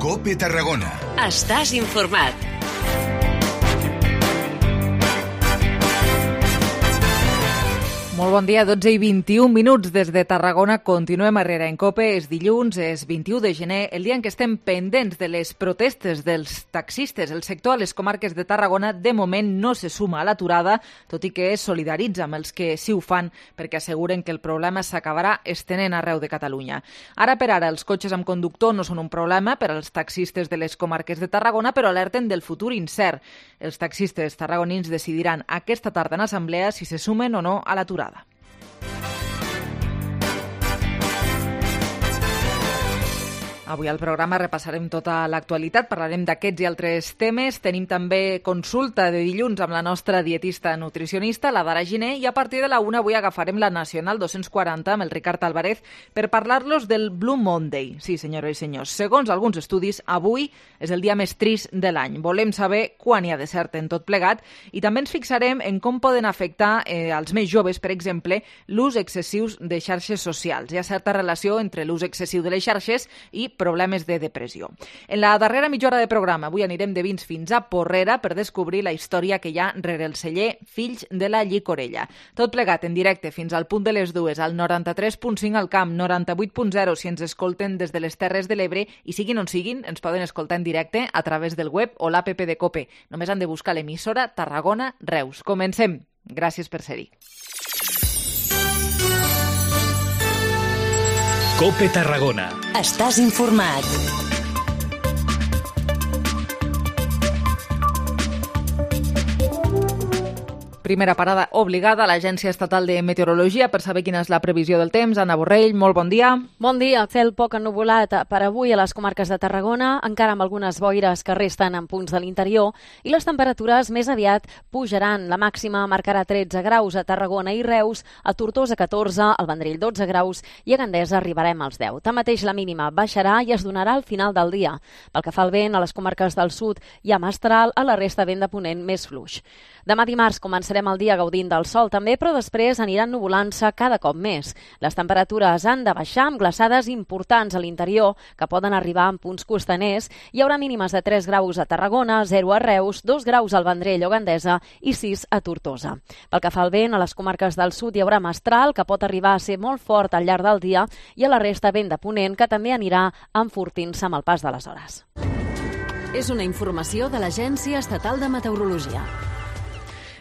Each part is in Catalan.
COPE Tarragona. Estàs informat. Molt bon dia, 12:21 des de Tarragona. Continuem a Herrera en COPE. És dilluns, és 21 de gener, el dia en què estem pendents de les protestes dels taxistes. El sector a les comarques de Tarragona de moment no se suma a l'aturada, tot i que es solidaritza amb els que sí ho fan perquè asseguren que el problema s'acabarà estenent arreu de Catalunya. Ara per ara els cotxes amb conductor no són un problema per als taxistes de les comarques de Tarragona, però alerten del futur incert. Els taxistes tarragonins decidiran aquesta tarda en assemblea si se sumen o no a l'aturada. Avui al programa repassarem tota l'actualitat, parlarem d'aquests i altres temes. Tenim també consulta de dilluns amb la nostra dietista nutricionista, la Dara Giner, i a partir de la 1 avui agafarem la Nacional 240 amb el Ricard Álvarez per parlar-los del Blue Monday. Sí, senyores i senyors, segons alguns estudis, avui és el dia més trist de l'any. Volem saber quan hi ha de cert en tot plegat i també ens fixarem en com poden afectar als més joves, per exemple, l'ús excessiu de xarxes socials. Hi ha certa relació entre l'ús excessiu de les xarxes i problemes de depressió. En la darrera mitja hora de programa, avui anirem de vins fins a Porrera per descobrir la història que hi ha rere el celler Fills de la Llicorella. Tot plegat en directe fins al punt de les 2 al 93.5 al Camp, 98.0 si ens escolten des de les Terres de l'Ebre i siguin on siguin, ens poden escoltar en directe a través del web o l'APP de COPE. Només han de buscar l'emissora Tarragona Reus. Comencem. Gràcies per ser-hi. COPE Tarragona. Estàs informat. Primera parada obligada a l'Agència Estatal de Meteorologia per saber quina és la previsió del temps. Anna Borrell, molt bon dia. Bon dia. Cel poc ennuvolat per avui a les comarques de Tarragona, encara amb algunes boires que resten en punts de l'interior, i les temperatures més aviat pujaran. La màxima marcarà 13 graus a Tarragona i Reus, a Tortosa 14, al Vendrell 12 graus i a Gandesa arribarem als 10. Tanmateix la mínima baixarà i es donarà al final del dia. Pel que fa al vent, a les comarques del sud hi ha mestral, a la resta vent de ponent més fluix. Demà dimarts començarem el dia gaudint del sol també, però després aniran nuvolant-se cada cop més. Les temperatures han de baixar amb glaçades importants a l'interior, que poden arribar en punts costaners. Hi haurà mínimes de 3 graus a Tarragona, 0 a Reus, 2 graus al Vendrell o Gandesa i 6 a Tortosa. Pel que fa al vent, a les comarques del sud hi haurà mestral, que pot arribar a ser molt fort al llarg del dia, i a la resta vent de ponent, que també anirà enfortint-se amb el pas de les hores. És una informació de l'Agència Estatal de Meteorologia.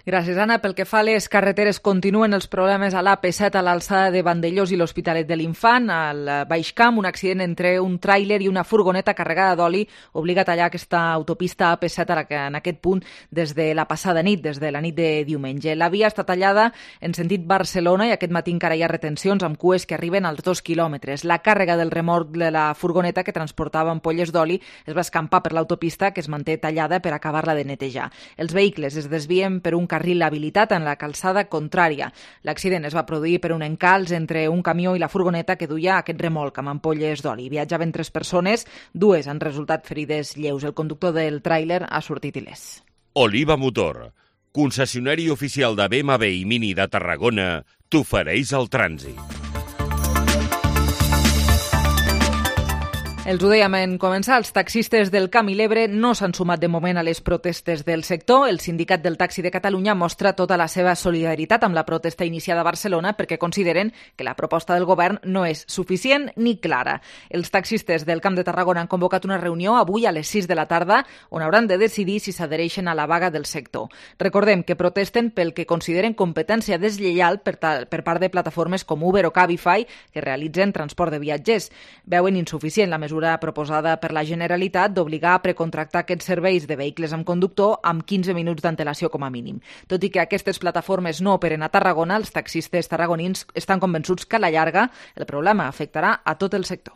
Gràcies, Anna. Pel que fa a les carreteres, continuen els problemes a l'AP7 a l'alçada de Vandellós i l'Hospitalet de l'Infant. Al Baix Camp, un accident entre un tràiler i una furgoneta carregada d'oli obliga a tallar aquesta autopista AP7 en aquest punt des de la passada nit, des de la nit de diumenge. La via està tallada en sentit Barcelona i aquest matí encara hi ha retencions amb cues que arriben als 2 quilòmetres. La càrrega del remolc de la furgoneta que transportava ampolles d'oli es va escampar per l'autopista, que es manté tallada per acabar-la de netejar. Els vehicles es desvien per un carril habilitat en la calçada contrària. L'accident es va produir per un encalç entre un camió i la furgoneta que duia aquest remolc amb ampolles d'oli. Viatjaven 3 persones, 2 han resultat ferides lleus. El conductor del tràiler ha sortit il·lès. Oliva Motor, concessionari oficial de BMW i Mini de Tarragona, t'ofereix el trànsit. Els ho dèiem en començar, els taxistes del Camp i l'Ebre no s'han sumat de moment a les protestes del sector. El Sindicat del Taxi de Catalunya mostra tota la seva solidaritat amb la protesta iniciada a Barcelona perquè consideren que la proposta del govern no és suficient ni clara. Els taxistes del Camp de Tarragona han convocat una reunió avui a les 6 de la tarda on hauran de decidir si s'adhereixen a la vaga del sector. Recordem que protesten pel que consideren competència deslleial per part de plataformes com Uber o Cabify que realitzen transport de viatgers. Veuen insuficient la mesura proposada per la Generalitat d'obligar a precontractar aquests serveis de vehicles amb conductor amb 15 minuts d'antelació com a mínim. Tot i que aquestes plataformes no operen a Tarragona, els taxistes tarragonins estan convençuts que a la llarga el problema afectarà a tot el sector.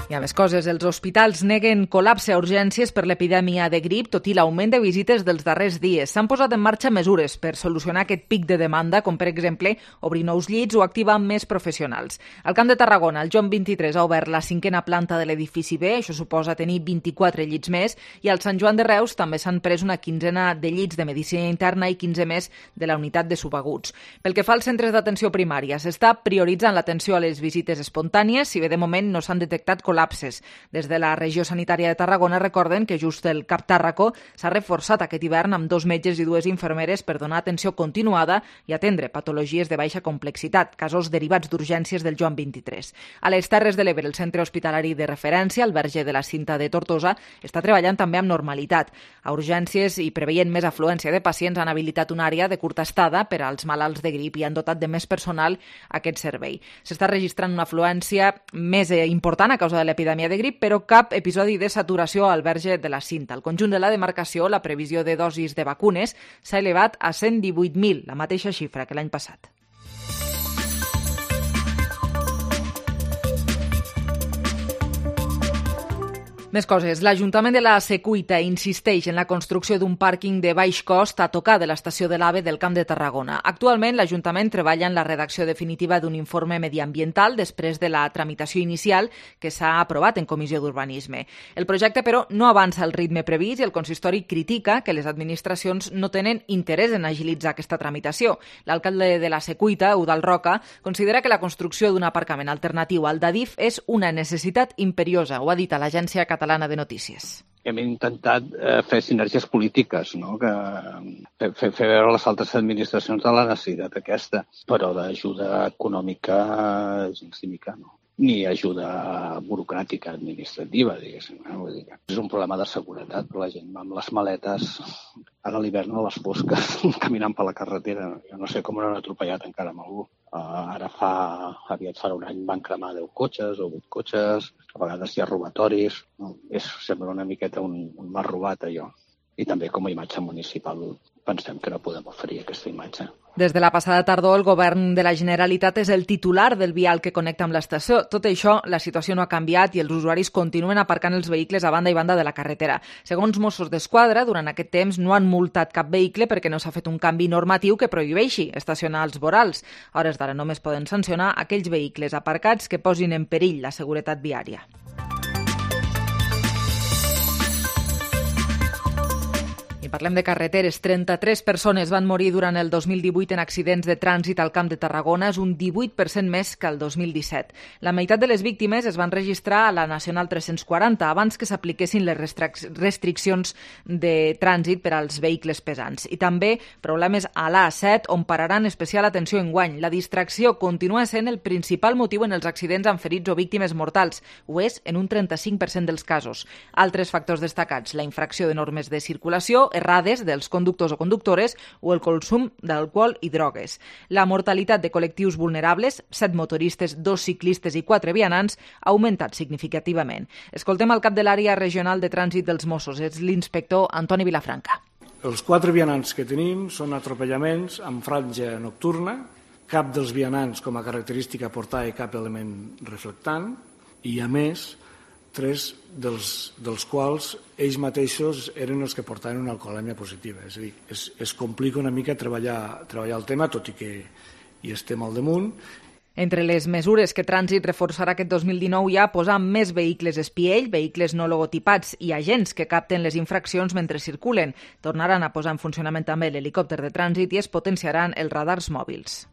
I I a més coses, els hospitals neguen col·lapse a urgències per l'epidèmia de grip, tot i l'augment de visites dels darrers dies. S'han posat en marxa mesures per solucionar aquest pic de demanda, com per exemple obrir nous llits o activar més professionals. Al Camp de Tarragona, el Joan 23 ha obert la 5a planta de l'edifici B, això suposa tenir 24 llits més, i al Sant Joan de Reus també s'han pres una 15ena de llits de medicina interna i 15 més de la unitat de subaguts. Pel que fa als centres d'atenció primària, s'està prioritzant l'atenció a les visites espontànies, si bé de moment no s'han detectat col·lapses. Des de la regió sanitària de Tarragona recorden que just el CAP Tàrraco s'ha reforçat aquest hivern amb 2 metges i 2 infermeres per donar atenció continuada i atendre patologies de baixa complexitat, casos derivats d'urgències del Joan 23. A les Terres de l'Ebre, el centre hospitalari de referència, el Verge de la Cinta de Tortosa, està treballant també amb normalitat. A urgències i preveient més afluència de pacients han habilitat una àrea de curta estada per als malalts de grip i han dotat de més personal aquest servei. S'està registrant una afluència més important a causa de l'epidèmia de grip, però cap episodi de saturació al Verge de la Cinta. Al conjunt de la demarcació, la previsió de dosis de vacunes s'ha elevat a 118.000, la mateixa xifra que l'any passat. Més coses. L'Ajuntament de la Secuita insisteix en la construcció d'un pàrquing de baix cost a tocar de l'estació de l'AVE del Camp de Tarragona. Actualment, l'Ajuntament treballa en la redacció definitiva d'un informe mediambiental després de la tramitació inicial que s'ha aprovat en Comissió d'Urbanisme. El projecte, però, no avança al ritme previst i el consistori critica que les administracions no tenen interès en agilitzar aquesta tramitació. L'alcalde de la Secuita, Eudald Roca, considera que la construcció d'un aparcament alternatiu al d'Adif és una necessitat imperiosa, ho ha dit a l'agència catalana de notícies. Hem intentat fer sinergies polítiques, no? Fer veure a les altres administracions de la necessitat aquesta, però d'ajuda econòmica gens ni mica, no? Ni ajuda burocràtica administrativa, diguéssim. Vull dir, és un problema de seguretat per la gent amb les maletes ara a l'hivern a les fosques caminant per la carretera. Jo no sé com no han atropellat encara amb algú. Ara aviat farà un any van cremar 10 cotxes o 8 cotxes, a vegades hi ha robatoris. No? Sembla una miqueta un mal robat, allò. I també com a imatge municipal pensem que no podem oferir aquesta imatge. Des de la passada tardor, el govern de la Generalitat és el titular del vial que connecta amb l'estació. Tot això, la situació no ha canviat i els usuaris continuen aparcant els vehicles a banda i banda de la carretera. Segons Mossos d'Esquadra, durant aquest temps no han multat cap vehicle perquè no s'ha fet un canvi normatiu que prohibeixi estacionar als vorals. A hores d'ara només poden sancionar aquells vehicles aparcats que posin en perill la seguretat viària. Parlem de carreteres. 33 persones van morir durant el 2018 en accidents de trànsit al Camp de Tarragona, és un 18% més que el 2017. La meitat de les víctimes es van registrar a la Nacional 340 abans que s'apliquessin les restriccions de trànsit per als vehicles pesants. I també problemes a l'A7, on pararan especial atenció enguany. La distracció continua sent el principal motiu en els accidents amb ferits o víctimes mortals. Ho és en un 35% dels casos. Altres factors destacats, la infracció de normes de circulació, errades dels conductors o conductores o el consum d'alcohol i drogues. La mortalitat de col·lectius vulnerables, 7 motoristes, 2 ciclistes i 4 vianants, ha augmentat significativament. Escoltem el cap de l'àrea regional de trànsit dels Mossos, és l'inspector Antoni Vilafranca. Els 4 vianants que tenim són atropellaments amb franja nocturna, cap dels vianants com a característica portava cap element reflectant i, a més, 3 dels quals ells mateixos eren els que portaven una alcoholèmia positiva. És a dir, es complica una mica treballar el tema, tot i que hi estem al damunt. Entre les mesures que Trànsit reforçarà aquest 2019 hi ha posar més vehicles espiell, vehicles no logotipats i agents que capten les infraccions mentre circulen. Tornaran a posar en funcionament també l'helicòpter de trànsit i es potenciaran els radars mòbils.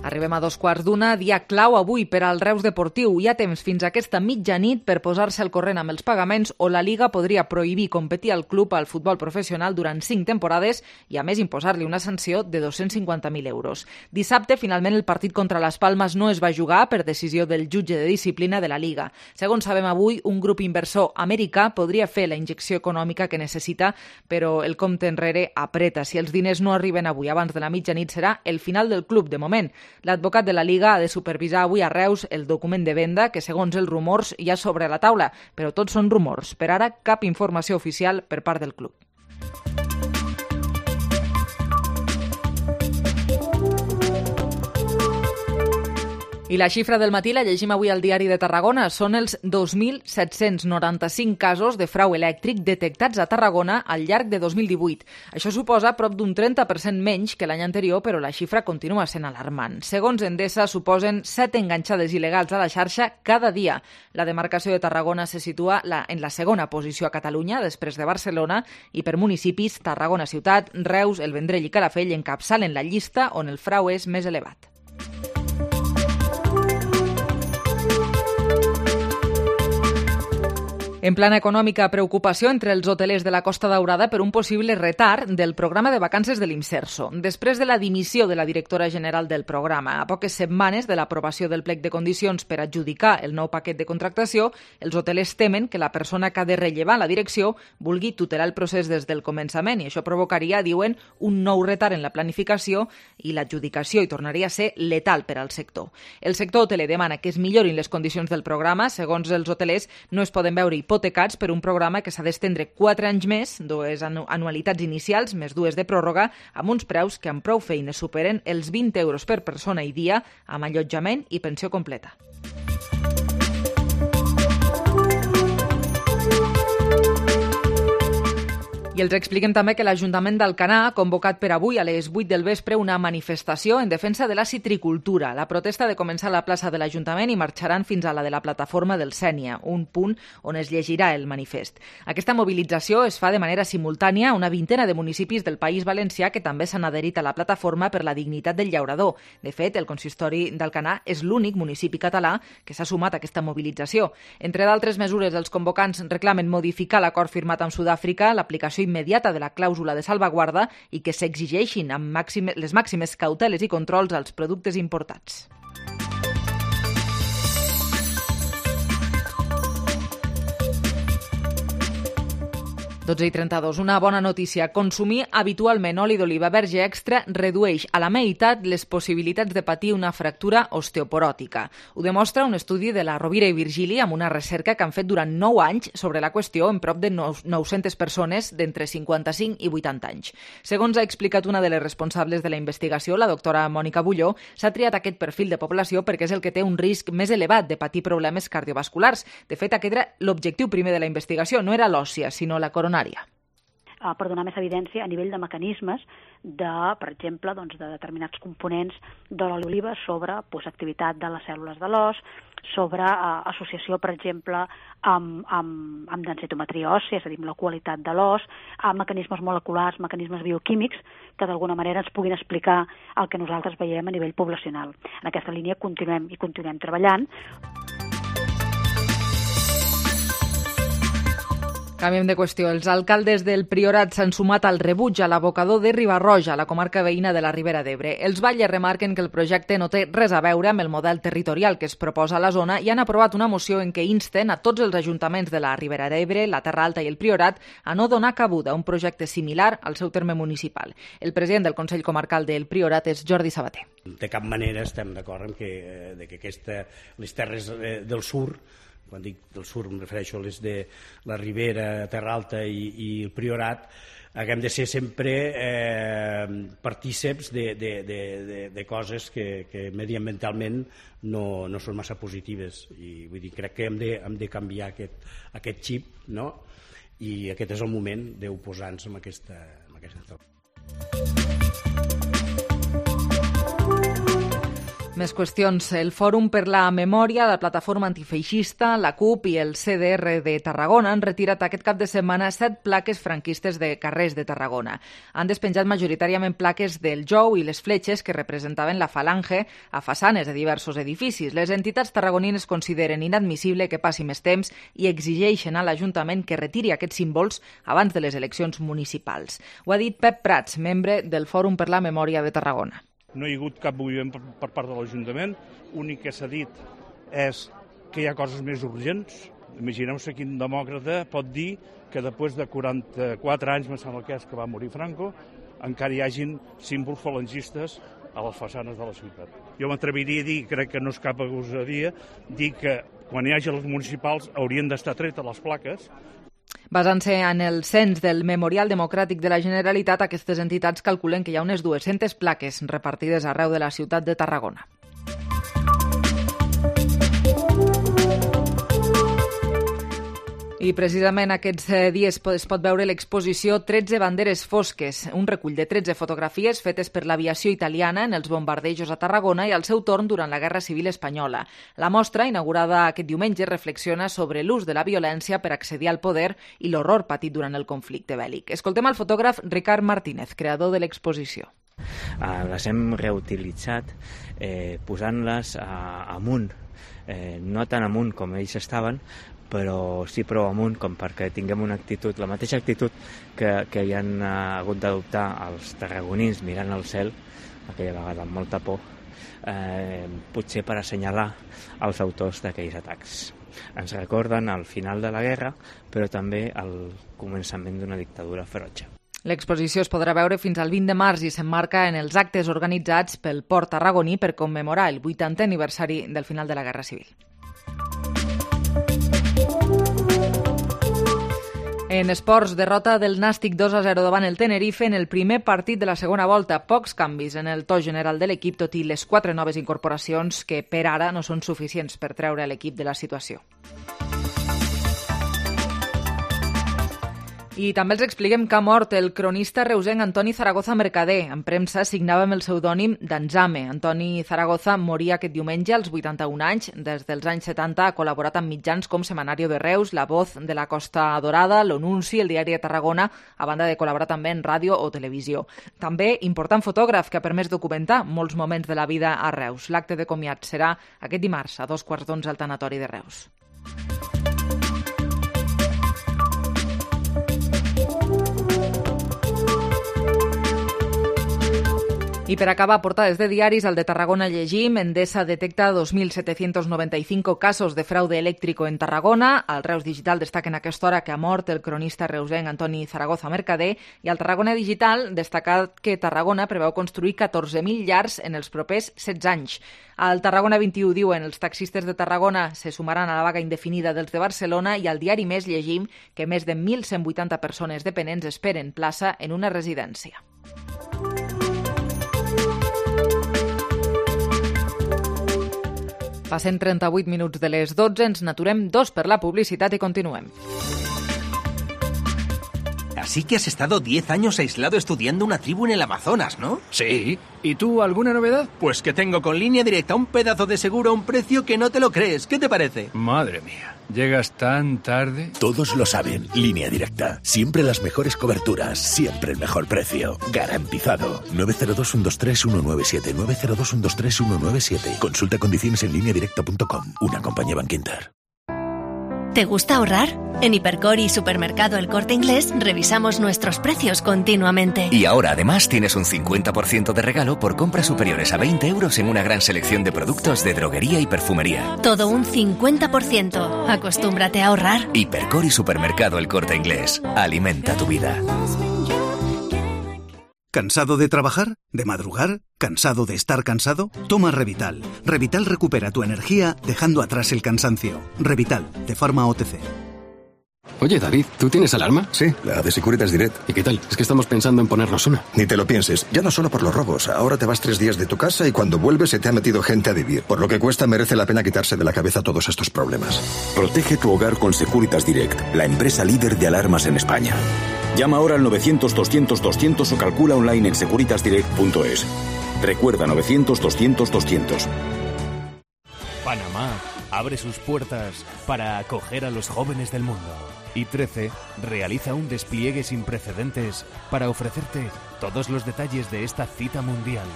Arribem a 2:15, dia clau avui per al Reus Deportiu. Hi ha temps fins a aquesta mitjanit per posar-se al corrent amb els pagaments o la Liga podria prohibir competir al club al futbol professional durant 5 temporades i a més imposar-li una sanció de 250.000 euros. Dissabte, finalment, el partit contra les Palmes no es va jugar per decisió del jutge de disciplina de la Liga. Segons sabem avui, un grup inversor americà podria fer la injecció econòmica que necessita, però el compte enrere apreta. Si els diners no arriben avui abans de la mitjanit serà el final del club de moment. L'advocat de la Liga ha de supervisar avui a Reus el document de venda que, segons els rumors, hi ha sobre la taula, però tots són rumors. Per ara, cap informació oficial per part del club. I la xifra del matí la llegim avui al Diari de Tarragona. Són els 2.795 casos de frau elèctric detectats a Tarragona al llarg de 2018. Això suposa prop d'un 30% menys que l'any anterior, però la xifra continua sent alarmant. Segons Endesa, suposen 7 enganxades il·legals a la xarxa cada dia. La demarcació de Tarragona se situa en la segona posició a Catalunya, després de Barcelona, i per municipis, Tarragona Ciutat, Reus, El Vendrell i Calafell encapçalen la llista on el frau és més elevat. En plana econòmica, preocupació entre els hotelers de la Costa Daurada per un possible retard del programa de vacances de l'Imserso. Després de la dimissió de la directora general del programa, a poques setmanes de l'aprovació del plec de condicions per adjudicar el nou paquet de contractació, els hotelers temen que la persona que ha de rellevar la direcció vulgui tutelar el procés des del començament i això provocaria, diuen, un nou retard en la planificació i l'adjudicació i tornaria a ser letal per al sector. El sector hoteler demana que es millorin les condicions del programa. Segons els hotelers, no es poden veure hipotecats per un programa que s'ha d'estendre 4 anys més, 2 anualitats inicials més 2 de pròrroga, amb uns preus que amb prou feines superen els 20 euros per persona i dia, amb allotjament i pensió completa. I els expliquem també que l'Ajuntament d'Alcanar ha convocat per avui a les 8 del vespre una manifestació en defensa de la citricultura. La protesta ha de començar a la plaça de l'Ajuntament i marxaran fins a la de la plataforma del Sénia, un punt on es llegirà el manifest. Aquesta mobilització es fa de manera simultània a una vintena de municipis del País Valencià que també s'han adherit a la plataforma per la dignitat del llaurador. De fet, el consistori d'Alcanar és l'únic municipi català que s'ha sumat a aquesta mobilització. Entre d'altres mesures, els convocants reclamen modificar l'acord firmat amb Sud-àfrica, l'aplicació immediata de la clàusula de salvaguarda i que s'exigeixin amb les màximes cauteles i controls als productes importats. 12:32. Una bona notícia. Consumir habitualment oli d'oliva verge extra redueix a la meitat les possibilitats de patir una fractura osteoporòtica. Ho demostra un estudi de la Rovira i Virgili amb una recerca que han fet durant 9 anys sobre la qüestió en prop de 900 persones d'entre 55 i 80 anys. Segons ha explicat una de les responsables de la investigació, la doctora Mònica Bulló, s'ha triat aquest perfil de població perquè és el que té un risc més elevat de patir problemes cardiovasculars. De fet, aquest era l'objectiu primer de la investigació, no era l'òssia, sinó la coronària. Per donar més evidència a nivell de mecanismes per exemple, de determinats components de l'oli d'oliva sobre activitat de les cèl·lules de l'os, sobre associació, per exemple, amb densitometria òssia, és a dir, amb la qualitat de l'os, amb mecanismes moleculars, mecanismes bioquímics, que d'alguna manera ens puguin explicar el que nosaltres veiem a nivell poblacional. En aquesta línia continuem treballant. Canviem de qüestió. Els alcaldes del Priorat s'han sumat al rebuig a l'abocador de Riba-roja, a la comarca veïna de la Ribera d'Ebre. Els batlles remarquen que el projecte no té res a veure amb el model territorial que es proposa a la zona i han aprovat una moció en què insten a tots els ajuntaments de la Ribera d'Ebre, la Terra Alta i el Priorat a no donar cabuda a un projecte similar al seu terme municipal. El president del Consell Comarcal del Priorat és Jordi Sabater. De cap manera estem d'acord en que les terres del sur, quan dic del sur em refereixo a les de la Ribera, Terra Alta i el Priorat, haguem de ser sempre partíceps de coses que mediambientalment no són massa positives. I vull dir, crec que hem de canviar aquest xip, no? I aquest és el moment d'oposar-nos a aquesta Més qüestions. El Fòrum per la Memòria, la Plataforma Antifeixista, la CUP i el CDR de Tarragona han retirat aquest cap de setmana 7 plaques franquistes de carrers de Tarragona. Han despenjat majoritàriament plaques del jou i les fletxes que representaven la falange a façanes de diversos edificis. Les entitats tarragonines consideren inadmissible que passi més temps i exigeixen a l'Ajuntament que retiri aquests símbols abans de les eleccions municipals. Ho ha dit Pep Prats, membre del Fòrum per la Memòria de Tarragona. No hi ha hagut cap moviment per part de l'Ajuntament. L'únic que s'ha dit és que hi ha coses més urgents. Imagineu-se quin demòcrata pot dir que després de 44 anys, me sembla que és que va morir Franco, encara hi hagin símbols falangistes a les façanes de la ciutat. Jo m'atreviria a dir, crec que no és cap gosadia, dir que quan hi hagi les municipals haurien d'estar tretes les plaques. Basant-se en el cens del Memorial Democràtic de la Generalitat, aquestes entitats calculen que hi ha unes 200 plaques repartides arreu de la ciutat de Tarragona. I precisament aquests dies es pot veure l'exposició 13 banderes fosques, un recull de 13 fotografies fetes per l'aviació italiana en els bombardejos a Tarragona i al seu torn durant la Guerra Civil Espanyola. La mostra, inaugurada aquest diumenge, reflexiona sobre l'ús de la violència per accedir al poder i l'horror patit durant el conflicte bèl·lic. Escoltem el fotògraf Ricard Martínez, creador de l'exposició. Les hem reutilitzat posant-les amunt, no tan amunt com ells estaven, però sí prou amunt com perquè tinguem una actitud, la mateixa actitud que hi han hagut d'adoptar els tarragonins mirant al cel, aquella vegada amb molta por, potser per assenyalar els autors d'aquells atacs. Ens recorden el final de la guerra, però també el començament d'una dictadura ferotge. L'exposició es podrà veure fins al 20 de març i s'emmarca en els actes organitzats pel Port tarragoní per commemorar el 80è aniversari del final de la Guerra Civil. En esports, derrota del Nàstic 2-0 davant el Tenerife en el primer partit de la segona volta. Pocs canvis en el to general de l'equip, tot i les 4 noves incorporacions que per ara no són suficients per treure l'equip de la situació. I també els expliquem que ha mort el cronista reusenc Antoni Zaragoza Mercader. En premsa signava amb el pseudònim d'Anzame. Antoni Zaragoza moria aquest diumenge als 81 anys. Des dels anys 70 ha col·laborat amb mitjans com Semanario de Reus, La Voz de la Costa Dorada, L'Onunci, el Diari de Tarragona, a banda de col·laborar també en ràdio o televisió. També important fotògraf que ha permès documentar molts moments de la vida a Reus. L'acte de comiat serà aquest dimarts a 11:15 al Tanatori de Reus. I per acabar, portades de diaris, al de Tarragona llegim: Endesa detecta 2.795 casos de fraude elèctrico en Tarragona. Al Reus Digital destaquen a aquesta hora que ha mort el cronista reusenc Antoni Zaragoza Mercader. I al Tarragona Digital destacat que Tarragona preveu construir 14.000 llars en els propers 16 anys. Al Tarragona 21 diuen: els taxistes de Tarragona se sumaran a la vaga indefinida dels de Barcelona. I al diari Més llegim que més de 1.180 persones dependents esperen plaça en una residència. Passen 38 minuts de les 12, ens n'aturem 2 per la publicitat i continuem. Así que has estado 10 años aislado estudiando una tribu en el Amazonas, ¿no? Sí. ¿Y tú, alguna novedad? Pues que tengo con Línea Directa un pedazo de seguro a un precio que no te lo crees. ¿Qué te parece? Madre mía, ¿llegas tan tarde? Todos lo saben. Línea Directa. Siempre las mejores coberturas, siempre el mejor precio. Garantizado. 902-123-197. 902-123-197. Consulta condiciones en lineadirecta.com. Una compañía Bankinter. ¿Te gusta ahorrar? En Hipercor y Supermercado El Corte Inglés revisamos nuestros precios continuamente. Y ahora además tienes un 50% de regalo por compras superiores a 20 euros en una gran selección de productos de droguería y perfumería. Todo un 50%. Acostúmbrate a ahorrar. Hipercor y Supermercado El Corte Inglés. Alimenta tu vida. ¿Cansado de trabajar? ¿De madrugar? ¿Cansado de estar cansado? Toma Revital. Revital recupera tu energía dejando atrás el cansancio. Revital, de Pharma OTC. Oye, David, ¿tú tienes alarma? Sí, la de Securitas Direct. ¿Y qué tal? Es que estamos pensando en ponernos una. Ni te lo pienses. Ya no solo por los robos. Ahora te vas 3 días de tu casa y cuando vuelves se te ha metido gente a vivir. Por lo que cuesta, merece la pena quitarse de la cabeza todos estos problemas. Protege tu hogar con Securitas Direct, la empresa líder de alarmas en España. Llama ahora al 900-200-200 o calcula online en securitasdirect.es. Recuerda, 900-200-200. Panamá abre sus puertas para acoger a los jóvenes del mundo. Y 13 realiza un despliegue sin precedentes para ofrecerte todos los detalles de esta cita mundial.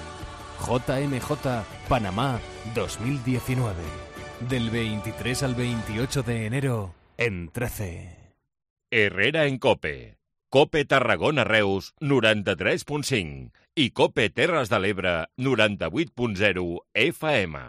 JMJ Panamá 2019. Del 23 al 28 de enero en 13. Herrera en COPE. COPE Tarragona Reus 93.5 i COPE Terres de l'Ebre 98.0 FM.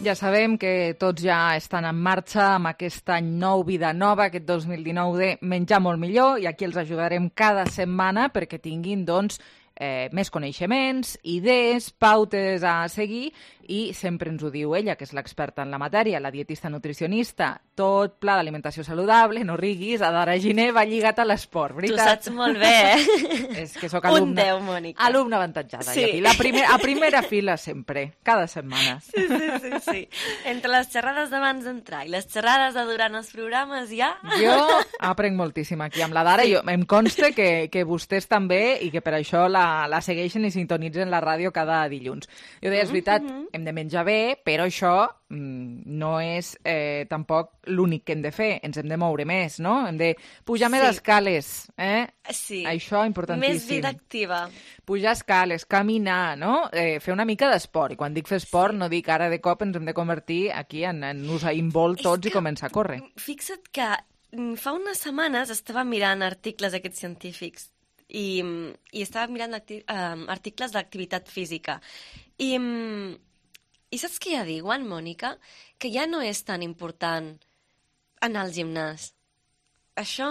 Ja sabem que tots ja estan en marxa amb aquest any nou, vida nova, aquest 2019 de menjar molt millor, i aquí els ajudarem cada setmana perquè tinguin, doncs, més coneixements, idees, pautes a seguir, i sempre ens ho diu ella, que és l'experta en la matèria, la dietista nutricionista, tot pla d'alimentació saludable, no riguis, Adara Giner va lligat a l'esport, veritat? Tu saps molt bé, És que sóc alumna. Un 10, Mònica. Alumna avantatjada. Sí. A primera fila sempre, cada setmana. Sí. Entre les xerrades d'abans d'entrar i les xerrades de durant els programes ja... Jo aprenc moltíssim aquí amb la Dara, sí. Em consta que vostès també, i que per això la segueixen i sintonitzen la ràdio cada dilluns. Jo deia, és veritat, hem de menjar bé, però això no és tampoc l'únic que hem de fer. Ens hem de moure més, no? Hem de pujar més escales, Sí. Això, importantíssim. Més vida activa. Pujar escales, caminar, no? Fer una mica d'esport. I quan dic fer esport, no dic ara de cop ens hem de convertir aquí en Usain Bolt tots i començar a córrer. Fixa't que fa unes setmanes estava mirant articles aquests científics i estava mirant articles d'activitat física. I saps què ja diuen, Mònica? Que ja no és tan important anar al gimnàs. Això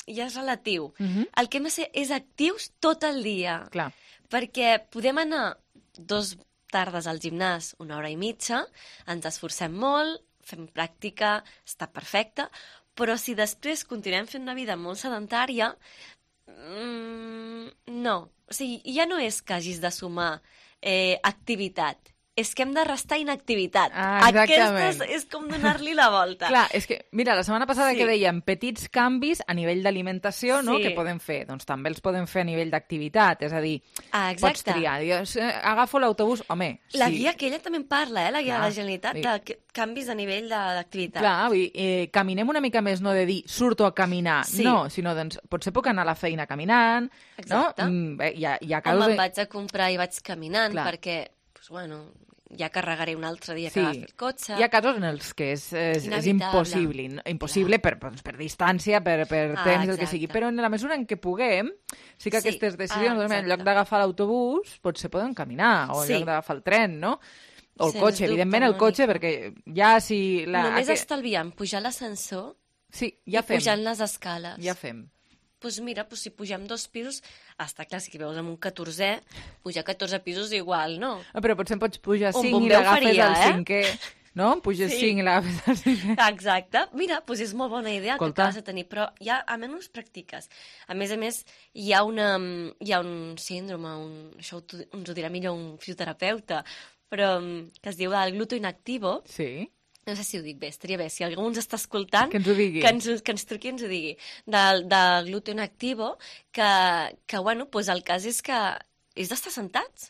ja és relatiu. El que hem de ser és actius tot el dia. Clar. Perquè podem anar 2 tardes al gimnàs, 1 hora i mitja, ens esforcem molt, fem pràctica, està perfecte, però si després continuem fent una vida molt sedentària, no. O sigui, ja no és que hagis de sumar activitat, és que hem de restar inactivitat. Aquesta és com donar-li la volta. Clar, és que, mira, la setmana passada que dèiem petits canvis a nivell d'alimentació, no?, que podem fer. Doncs també els podem fer a nivell d'activitat, és a dir, pots triar. Agafo l'autobús, home... La guia aquella també en parla, la guia de la Generalitat, de canvis a nivell d'activitat. Clar, caminem una mica més, no de dir, surto a caminar, no, sinó, doncs, potser puc anar a la feina caminant, no? Home, em vaig a comprar i vaig caminant, perquè, doncs, bueno... ja carregaré un altre dia que agafi el cotxe. Hi ha casos en els que és impossible per distància, per temps, el que sigui. Però en la mesura en què puguem, sí que aquestes decisions, en lloc d'agafar l'autobús, potser podem caminar, o en lloc d'agafar el tren, no? O el cotxe, evidentment el cotxe, perquè ja si... Només estalviant pujar l'ascensor i pujant les escales. Ja fem. Doncs mira, si pugem 2 pisos, està clar, si veus amb un 14è, pujar 14 pisos igual, no? Però potser em pots pujar 5 i l'agafes al 5è, no? Puges 5 i l'agafes al 5è. Exacte. Mira, és molt bona idea que acabes de tenir, però ja almenys practiques. A més, hi ha un síndrome, això ens ho dirà millor un fisioterapeuta, però que es diu el glúteo inactivo. Sí. No sé si ho dic bé, estaria bé. Si algú ens està escoltant, que ens ho digui. Que ens truqui i ens ho digui. Del glúteo inactivo, que bueno, doncs el cas és que és d'estar sentats.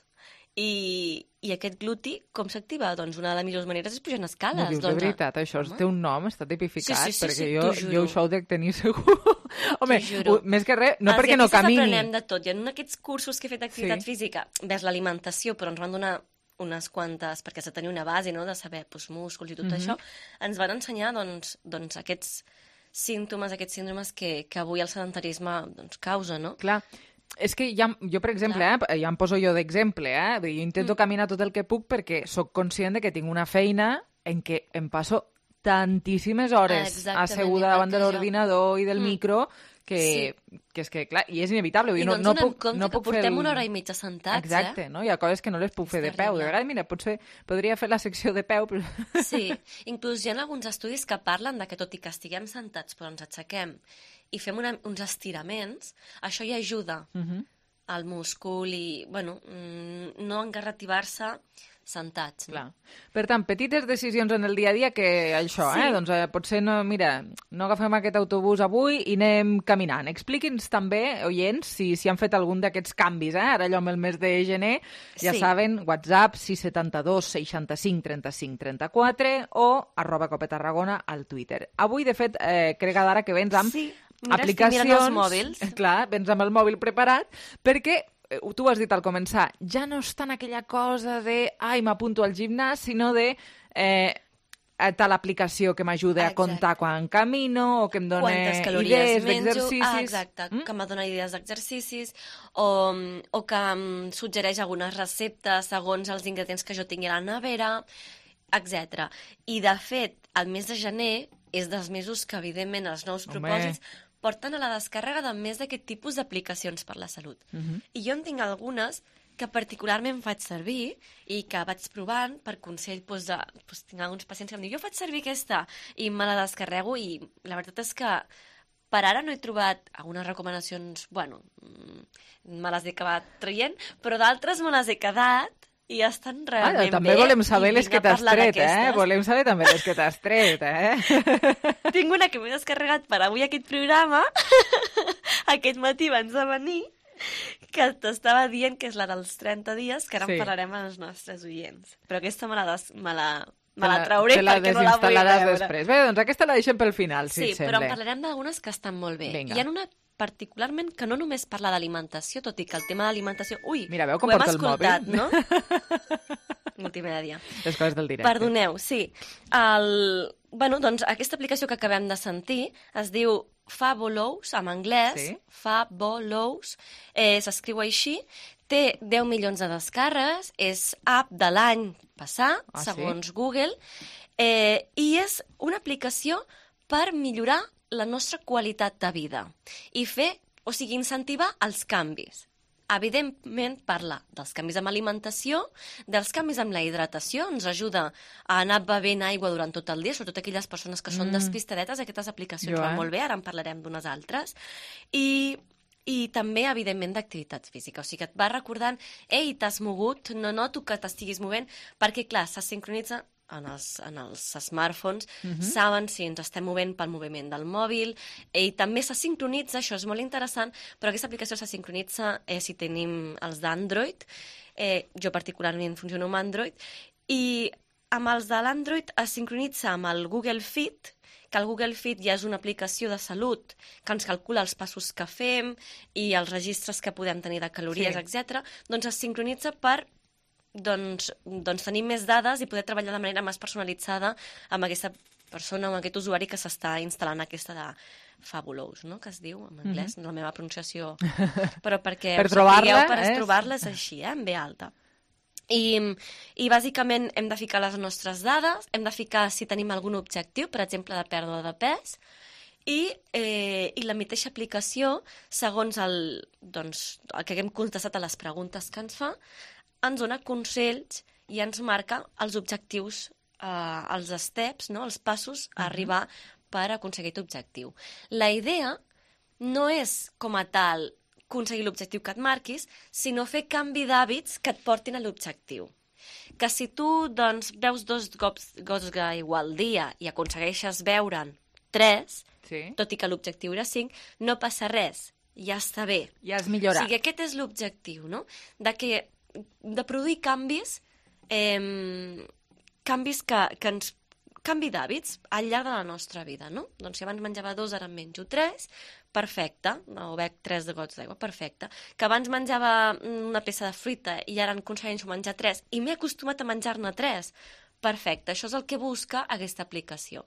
I aquest gluti, com s'activa? Doncs una de les millors maneres és pujant escales. No dius de veritat, això té un nom, està tipificat, perquè jo això ho dec tenir segur. Home, més que res, no perquè no camini. Els aprenem de tot. I en aquests cursos que he fet d'activitat física, ves l'alimentació, però ens van donar unes quantes, perquè has de tenir una base, no?, de saber músculs i tot això, ens van ensenyar doncs, aquests símptomes, aquests síndromes que avui el sedentarisme causa, no? Clar, és que jo, per exemple, ja em poso jo d'exemple, jo intento caminar tot el que puc perquè sóc conscient de que tinc una feina en què em passo tantíssimes hores asseguda davant de l'ordinador i del micro que és que, clar, i és inevitable. I no ens donem compte que portem una hora i mitja sentats, Exacte, no? Hi ha coses que no les puc fer de peu. De vegades, mira, potser podria fer la secció de peu, però... Sí, inclús hi ha alguns estudis que parlen de que tot i que estiguem sentats però ens aixequem i fem uns estiraments, això ja ajuda al múscul i, bueno, no engarrativar-se sentats. Clar. Per tant, petites decisions en el dia a dia que això, doncs potser no, mira, no agafem aquest autobús avui i anem caminant. Expliqui'ns també, oients, si han fet algun d'aquests canvis, ara allò amb el mes de gener, ja saben, WhatsApp 672 65 35 34 o @copetarragona al Twitter. Avui, de fet, crec ara que vens amb aplicacions... Mira, els mòbils. Clar, vens amb el mòbil preparat, perquè tu ho has dit al començar, ja no és tant aquella cosa de m'apunto al gimnàs, sinó de tal aplicació que m'ajuda a comptar quan camino o que em dona idees d'exercicis. Exacte, que em dona idees d'exercicis o que em suggereix algunes receptes segons els ingredients que jo tingui a la nevera, etc. I, de fet, el mes de gener és dels mesos que, evidentment, els nous propòsits porten a la descàrrega de més d'aquest tipus d'aplicacions per la salut. I jo en tinc algunes que particularment faig servir i que vaig provant per consell, tinc alguns pacients que em diuen jo faig servir aquesta i me la descarrego i la veritat és que per ara no he trobat algunes recomanacions, me les he acabat traient, però d'altres me les he quedat i estan realment bé. També volem saber les que t'has tret, Volem saber també les que t'has tret, Tinc una que m'he descarregat per avui aquest programa. Aquest matí abans de venir, que t'estava dient que és la dels 30 dies, que ara en parlarem als nostres oients. Però aquesta me la trauré perquè no la vull veure. Després. Bé, doncs aquesta la deixem pel final, si et sembla. Sí, però en parlarem d'algunes que estan molt bé. Vinga. Hi ha una particularment que no només parla d'alimentació, tot i que el tema d'alimentació... Ui, mira, veu com porta el mòbil? Ho hem escoltat, no? Multimèdia. Les coses del directe. Perdoneu, sí. Doncs aquesta aplicació que acabem de sentir es diu Fabolous, en anglès, Fabolous, s'escriu així, té 10 milions de descàrregues, és app de l'any passat, segons Google, i és una aplicació per millorar la nostra qualitat de vida i incentivar els canvis. Evidentment parla dels canvis amb alimentació, dels canvis amb la hidratació, ens ajuda a anar bevent aigua durant tot el dia, sobretot aquelles persones que són despistadetes, aquestes aplicacions van molt bé, ara en parlarem d'unes altres, i també, evidentment, d'activitats físiques. O sigui que et va recordant, ei, t'has mogut, no noto que t'estiguis movent, perquè, clar, se sincronitza en els smartphones, saben si ens estem movent pel moviment del mòbil, i també se sincronitza, això és molt interessant, però aquesta aplicació se sincronitza si tenim els d'Android, jo particularment funciono amb Android, i amb els de l'Android es sincronitza amb el Google Fit, que el Google Fit ja és una aplicació de salut que ens calcula els passos que fem i els registres que podem tenir de calories, etc. Doncs es sincronitza per tenir més dades i poder treballar de manera més personalitzada amb aquesta persona o amb aquest usuari que s'està instal·lant aquesta de Fabolous, no? Que es diu en anglès, la meva pronunciació, però perquè per trobar-la és així, en B alta. I bàsicament hem de ficar les nostres dades, hem de ficar si tenim algun objectiu, per exemple de pèrdua de pes, i la mateixa aplicació, segons el que hem contestat a les preguntes que ens fa, ens dona consells i ens marca els objectius, els steps, no? Els passos a arribar per aconseguir aquest objectiu. La idea no és, com a tal, aconseguir l'objectiu que et marquis, sinó fer canvi d'hàbits que et portin a l'objectiu. Que si tu beus 2 gots d'aigua al dia i aconsegueixes beure'n 3, tot i que l'objectiu era 5, no passa res, ja està bé. Ja has millorat. O sigui, aquest és l'objectiu, no? De produir canvis que ens canvi d'hàbits al llarg de la nostra vida, no? Doncs si abans menjava 2, ara en menjo 3, perfecte, o bec 3 gots d'aigua, perfecte. Que abans menjava una peça de fruita i ara en aconsegueixo menjar 3 i m'he acostumat a menjar-ne 3, perfecte. Això és el que busca aquesta aplicació.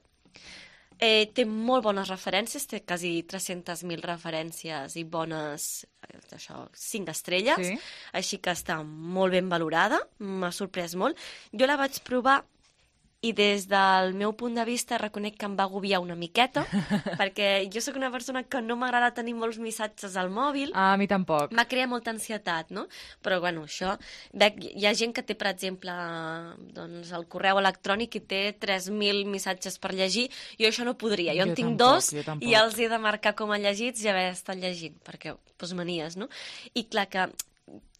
Té molt bones referències, té quasi 300.000 referències i bones, 5 estrelles, així que està molt ben valorada, m'ha sorprès molt. Jo la vaig provar i des del meu punt de vista reconec que em va agobiar una miqueta, perquè jo sóc una persona que no m'agrada tenir molts missatges al mòbil. A mi tampoc. M'ha creat molta ansietat, no? Però, bueno, això... Hi ha gent que té, per exemple, el correu electrònic i té 3.000 missatges per llegir. Jo això no podria. Jo en tinc 2 i els he de marcar com a llegits i haver estat llegint, perquè, manies, no? I clar que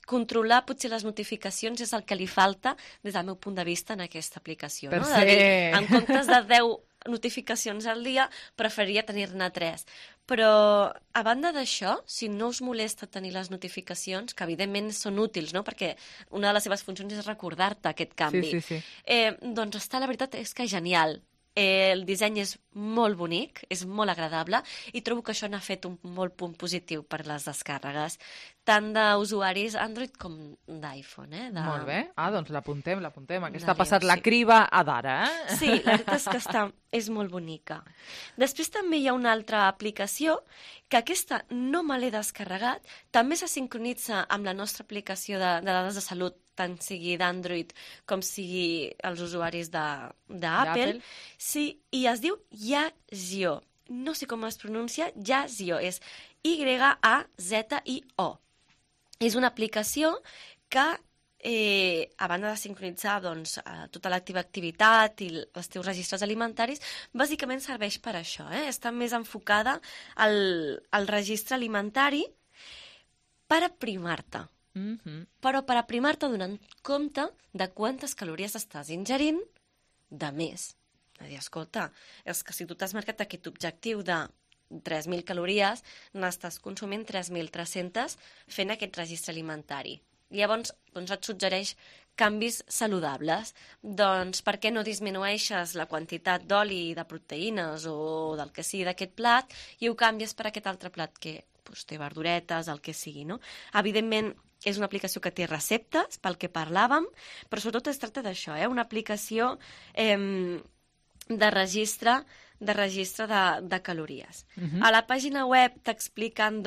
controlar potser les notificacions és el que li falta des del meu punt de vista en aquesta aplicació. No? De dir, en comptes de 10 notificacions al dia, preferiria tenir-ne 3. Però, a banda d'això, si no us molesta tenir les notificacions, que evidentment són útils, no? Perquè una de les seves funcions és recordar-te aquest canvi, doncs està, la veritat, és que genial. El disseny és molt bonic, és molt agradable i trobo que això n'ha fet un molt punt positiu per les descàrregues, tant d'usuaris Android com d'iPhone. Molt bé, doncs l'apuntem. Aquesta ha passat la criba a d'ara, Sí, la veritat és que és molt bonica. Després també hi ha una altra aplicació que aquesta no me l'he descarregat, també se sincronitza amb la nostra aplicació de dades de salut, tant sigui d'Android com sigui els usuaris d'Apple, sí, i es diu Yazio. no sé com es pronuncia, Yazio, és Y-A-Z-I-O. És una aplicació que, a banda de sincronitzar tota la teva activitat i els teus registres alimentaris, bàsicament serveix per això. Està més enfocada al registre alimentari per aprimar-te. Però per aprimar-te donant compte de quantes calories estàs ingerint de més. És a dir, escolta, és que si tu t'has marcat aquest objectiu de 3.000 calories, n'estàs consumint 3.300 fent aquest registre alimentari. Llavors, et suggereix canvis saludables. Doncs per què no disminueixes la quantitat d'oli, de proteïnes o del que sigui d'aquest plat i ho canvies per aquest altre plat que té verduretes, el que sigui, no? Evidentment, és una aplicació que té receptes, pel que parlàvem, però sobretot es tracta d'això, una aplicació de registre de calories. A la pàgina web t'expliquen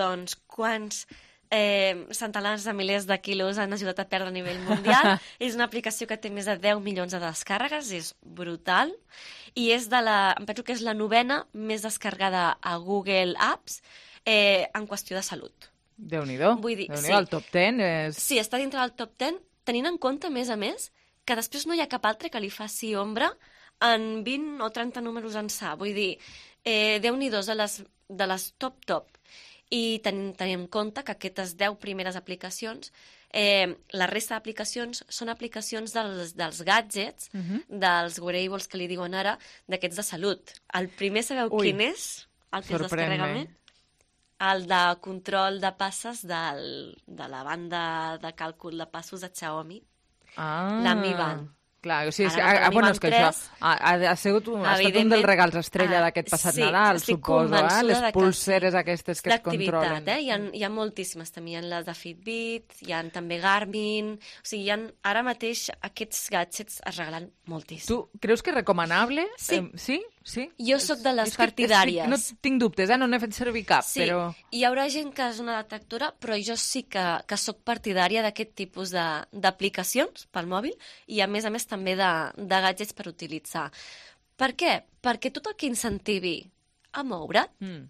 quants centenars de milers de quilos han ajudat a perdre a nivell mundial. És una aplicació que té més de 10 milions de descàrregues, és brutal, i em penso que és la 9ª més descarregada a Google Apps en qüestió de salut. Déu-n'hi-do, el top 10 és... Sí, està dintre del top 10, tenint en compte, a més, que després no hi ha cap altre que li faci ombra en 20 o 30 números ençà. Vull dir, Déu-n'hi-do de les top. I tenint en compte que aquestes 10 primeres aplicacions, la resta d'aplicacions són aplicacions dels gadgets, dels wearables que li diuen ara, d'aquests de salut. El primer, sabeu quin és? El que es descarrega més? El de control de passes de la banda de càlcul de passos de Xiaomi, la Mi Band. Clar, o sigui, és que això ha estat un dels regals estrella d'aquest passat Nadal, suposo, les pulseres aquestes que es controlen. Hi ha moltíssimes, també hi ha les de Fitbit, hi ha també Garmin, o sigui, ara mateix aquests gadgets es regalen moltíssim. Tu creus que és recomanable? Sí? Jo sóc de les partidàries. No tinc dubtes, no n'he fet servir cap, però... Hi haurà gent que és una detractora, però jo sí que sóc partidària d'aquest tipus d'aplicacions pel mòbil i, a més, també de gadgets per utilitzar. Per què? Perquè tot el que incentivi a moure't,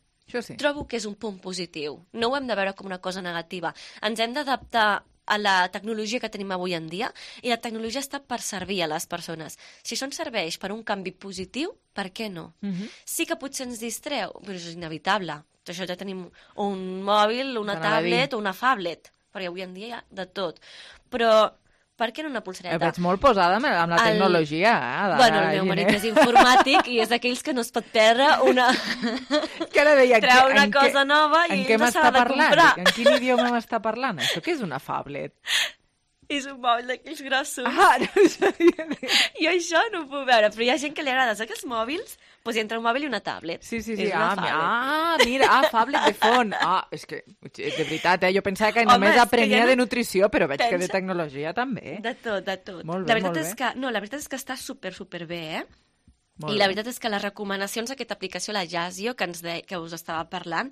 trobo que és un punt positiu. No ho hem de veure com una cosa negativa. Ens hem d'adaptar a la tecnologia que tenim avui en dia, i la tecnologia està per servir a les persones. Si això ens serveix per un canvi positiu, per què no? Sí que potser ens distreu, però és inevitable. Això ja tenim un mòbil, una tablet o una phablet, perquè avui en dia hi ha de tot. Però per què no una pulsereta? Et veig molt posada amb la tecnologia. Bueno, el meu marit és informàtic i és d'aquells que no es pot perdre una... Treu una cosa nova i no s'ha de comprar. En quin idioma m'està parlant? Això què és una phablet? És un mòbil d'aquells grossos. No sabia. Jo això no ho puc veure, però hi ha gent que li agrada. Saps que els mòbils, doncs entre un mòbil i una tablet. Sí. Mira, phablet de font. És que, de veritat, jo pensava que només aprenia de nutrició, però veig que de tecnologia també. De tot. Molt bé, molt bé. La veritat és que està super bé, I la veritat és que les recomanacions d'aquesta aplicació, la Yazio, que us estava parlant,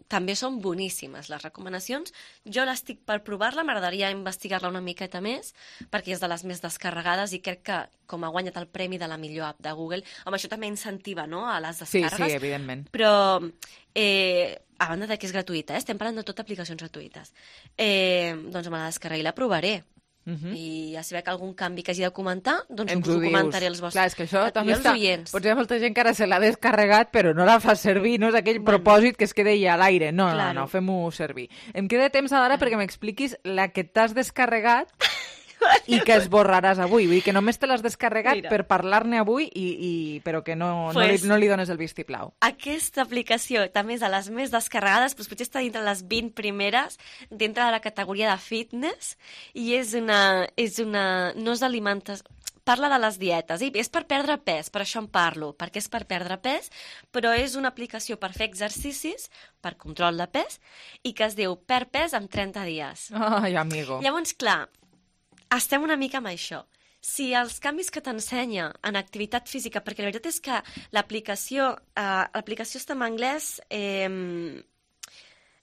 també són boníssimes, les recomanacions. Jo l'estic per provar-la, m'agradaria investigar-la una miqueta més, perquè és de les més descarregades i crec que, com ha guanyat el premi de la millor app de Google, això també incentiva, no?, a les descàrregues. Sí, evidentment. Però, a banda de que és gratuïta, estem parlant de tot aplicacions gratuïtes, doncs me la descarregaré i la provaré. I ja si veig algun canvi que hagi de comentar, doncs us ho comentaré als vostres. Clar, és que això també està... Potser hi ha molta gent que ara se l'ha descarregat, però no la fa servir, no és aquell propòsit que es queda a l'aire. No, fem-ho servir. Em queda temps ara perquè m'expliquis la que t'has descarregat i que esborraràs avui. Vull dir que només te l'has descarregat per parlar-ne avui, però que no li dones el vistiplau. Aquesta aplicació també és de les més descarregades, però potser està dintre les 20 primeres, dintre de la categoria de fitness, i no és d'alimentació, parla de les dietes, i és per perdre pes, per això en parlo, perquè és per perdre pes, però és una aplicació per fer exercicis, per control de pes, i que es diu Perd pes en 30 dies. Ai, amigo. Llavors, clar, estem una mica amb això. Si els canvis que t'ensenya en activitat física, perquè la veritat és que l'aplicació està en anglès,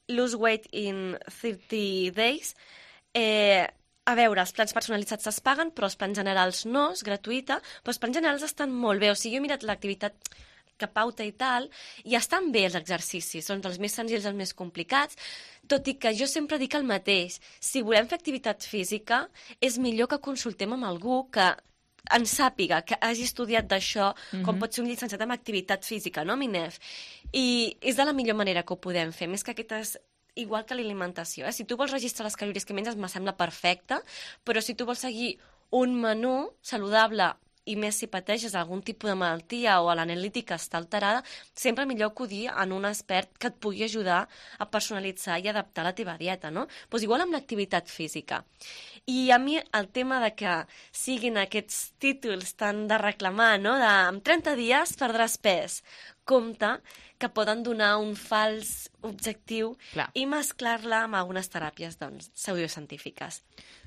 Lose Weight in 30 Days, a veure, els plans personalitzats es paguen, però els plans generals no, és gratuïta, però els plans generals estan molt bé. O sigui, jo he mirat l'activitat, que pauta i tal, i estan bé els exercicis, són els més senzills, els més complicats, tot i que jo sempre dic el mateix. Si volem fer activitat física, és millor que consultem amb algú que en sàpiga, que hagi estudiat d'això, com pot ser un llicenciat en activitat física, no, Minef? I és de la millor manera que ho podem fer, més que aquestes... Igual que l'alimentació, Si tu vols registrar les calories que menges, me sembla perfecte, però si tu vols seguir un menú saludable, i més si pateixes algun tipus de malaltia o l'analítica està alterada, sempre millor acudir en un expert que et pugui ajudar a personalitzar i adaptar la teva dieta, no? Doncs igual amb l'activitat física. I a mi el tema de que siguin aquests títols tan de reclamar, no? De en 30 dies perdràs pes. Compte que poden donar un fals objectiu i mesclar-la amb algunes teràpies pseudocientífiques.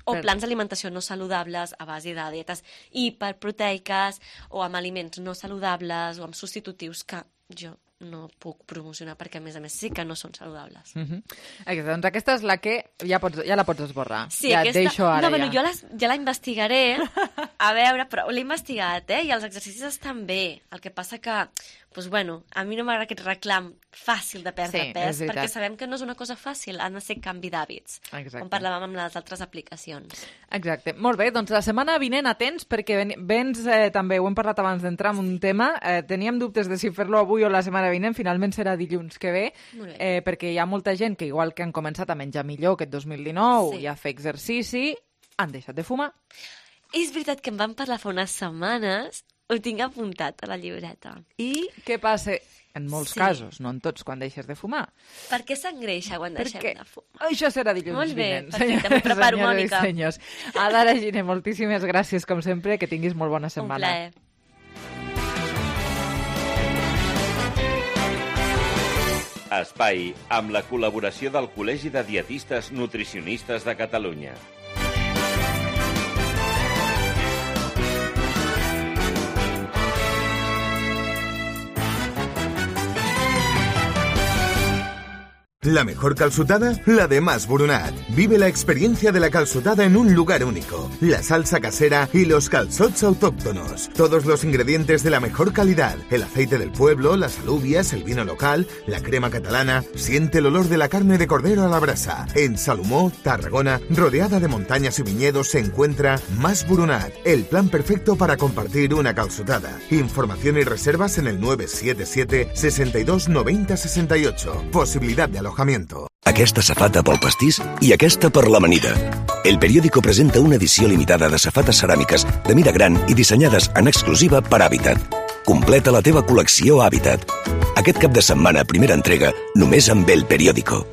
O plans d'alimentació no saludables a base de dietes hiperproteiques o amb aliments no saludables o amb substitutius que jo no puc promocionar perquè, a més sí que no són saludables. Doncs aquesta és la que ja la pots esborrar. Sí, ja aquesta... et deixo ara. Jo ja la investigaré, a veure, però l'he investigat, i els exercicis estan bé. El que passa que, a mi no m'agrada aquest reclam fàcil de perdre pes, perquè sabem que no és una cosa fàcil, han de ser canvi d'hàbits, com parlàvem amb les altres aplicacions. Exacte. Molt bé, doncs la setmana vinent atents, perquè vens també, ho hem parlat abans d'entrar en un tema, teníem dubtes de si fer-lo avui o la setmana vinent, finalment serà dilluns que ve, perquè hi ha molta gent que, igual que han començat a menjar millor aquest 2019 i a fer exercici, han deixat de fumar. És veritat que em van parlar fa unes setmanes, ho tinc apuntat a la llibreta. I què passa? En molts casos, no en tots, quan deixes de fumar. Per què s'engreixa quan deixem de fumar? Això serà dilluns vinent. Molt bé, perfecte, m'ho preparo, Mònica. Senyors. Adara Giner, moltíssimes gràcies, com sempre, que tinguis molt bona setmana. Un plaer. Espai amb la col·laboració del Col·legi de Dietistes Nutricionistes de Catalunya. La mejor calçotada, la de Mas Boronat. Vive la experiencia de la calçotada en un lugar único. La salsa casera y los calzots autóctonos. Todos los ingredientes de la mejor calidad. El aceite del pueblo, las alubias, el vino local, la crema catalana. Siente el olor de la carne de cordero a la brasa. En Salomó, Tarragona, rodeada de montañas y viñedos, se encuentra Mas Boronat. El plan perfecto para compartir una calçotada. Información y reservas en el 977 62 90 68. Posibilidad de alojamiento. Aquesta safata pel pastís i aquesta per l'amanida. El periòdico presenta una edició limitada de safates ceràmiques de mida gran i dissenyades en exclusiva per Habitat. Completa la teva col·lecció Habitat. Aquest cap de setmana, primera entrega, només amb El Periódico.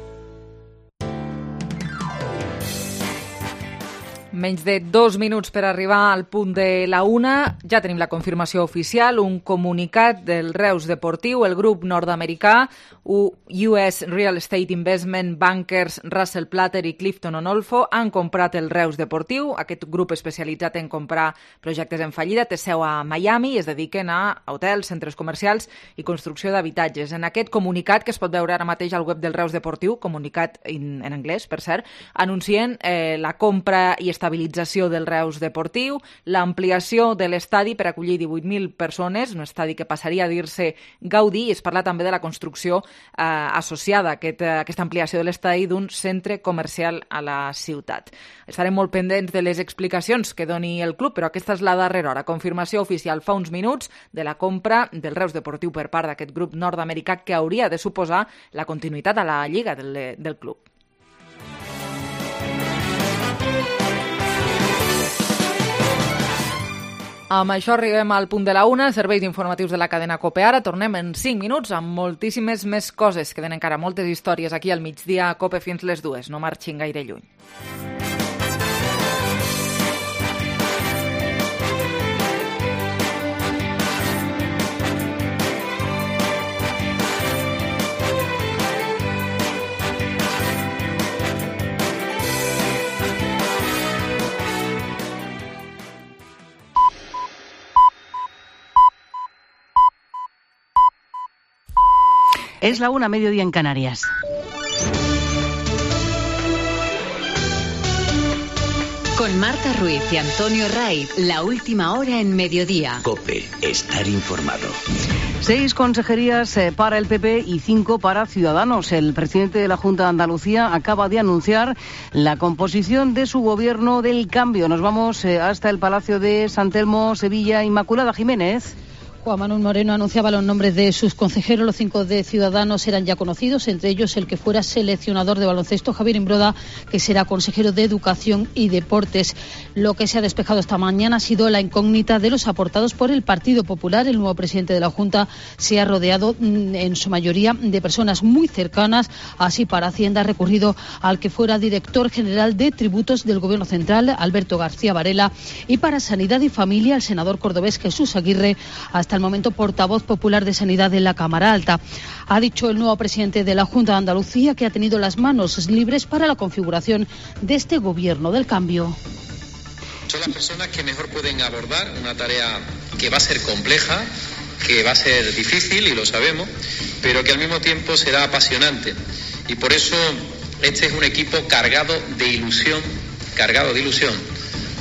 Menys de 2 minuts per arribar al punt de la 1. Ja tenim la confirmació oficial, un comunicat del Reus Deportiu, el grup nord-americà US Real Estate Investment Bankers Russell Platter i Clifton Onolfo han comprat el Reus Deportiu. Aquest grup especialitzat en comprar projectes en fallida té seu a Miami i es dediquen a hotels, centres comercials i construcció d'habitatges. En aquest comunicat, que es pot veure ara mateix al web del Reus Deportiu, comunicat en anglès, per cert, anuncien la compra i estabilització del Reus Deportiu, l'ampliació de l'estadi per acollir 18.000 persones, un estadi que passaria a dir-se Gaudí, i es parla també de la construcció associada a aquesta ampliació de l'estadi d'un centre comercial a la ciutat. Estarem molt pendents de les explicacions que doni el club, però aquesta és la darrera hora. Confirmació oficial fa uns minuts de la compra del Reus Deportiu per part d'aquest grup nord-americà que hauria de suposar la continuïtat a la lliga del club. Amb això arribem al punt de la 1, serveis informatius de la cadena COPE. Ara tornem en 5 minuts amb moltíssimes més coses. Queden encara moltes històries aquí al migdia a COPE fins les 2. No marxin gaire lluny. Es la 1, mediodía en Canarias. Con Marta Ruiz y Antonio Raiz, la última hora en mediodía. COPE, estar informado. 6 consejerías para el PP y 5 para Ciudadanos. El presidente de la Junta de Andalucía acaba de anunciar la composición de su gobierno del cambio. Nos vamos hasta el Palacio de San Telmo, Sevilla. Inmaculada Jiménez. Juan Manuel Moreno anunciaba los nombres de sus consejeros. Los 5 de Ciudadanos eran ya conocidos, entre ellos el que fuera seleccionador de baloncesto, Javier Imbroda, que será consejero de Educación y Deportes. Lo que se ha despejado esta mañana ha sido la incógnita de los aportados por el Partido Popular. El nuevo presidente de la Junta se ha rodeado en su mayoría de personas muy cercanas. Así, para Hacienda ha recurrido al que fuera director general de tributos del Gobierno Central, Alberto García Varela, y para Sanidad y Familia, el senador cordobés Jesús Aguirre, hasta el momento portavoz popular de Sanidad en la Cámara Alta. Ha dicho el nuevo presidente de la Junta de Andalucía que ha tenido las manos libres para la configuración de este gobierno del cambio. Son las personas que mejor pueden abordar una tarea que va a ser compleja, que va a ser difícil, y lo sabemos, pero que al mismo tiempo será apasionante. Y por eso este es un equipo cargado de ilusión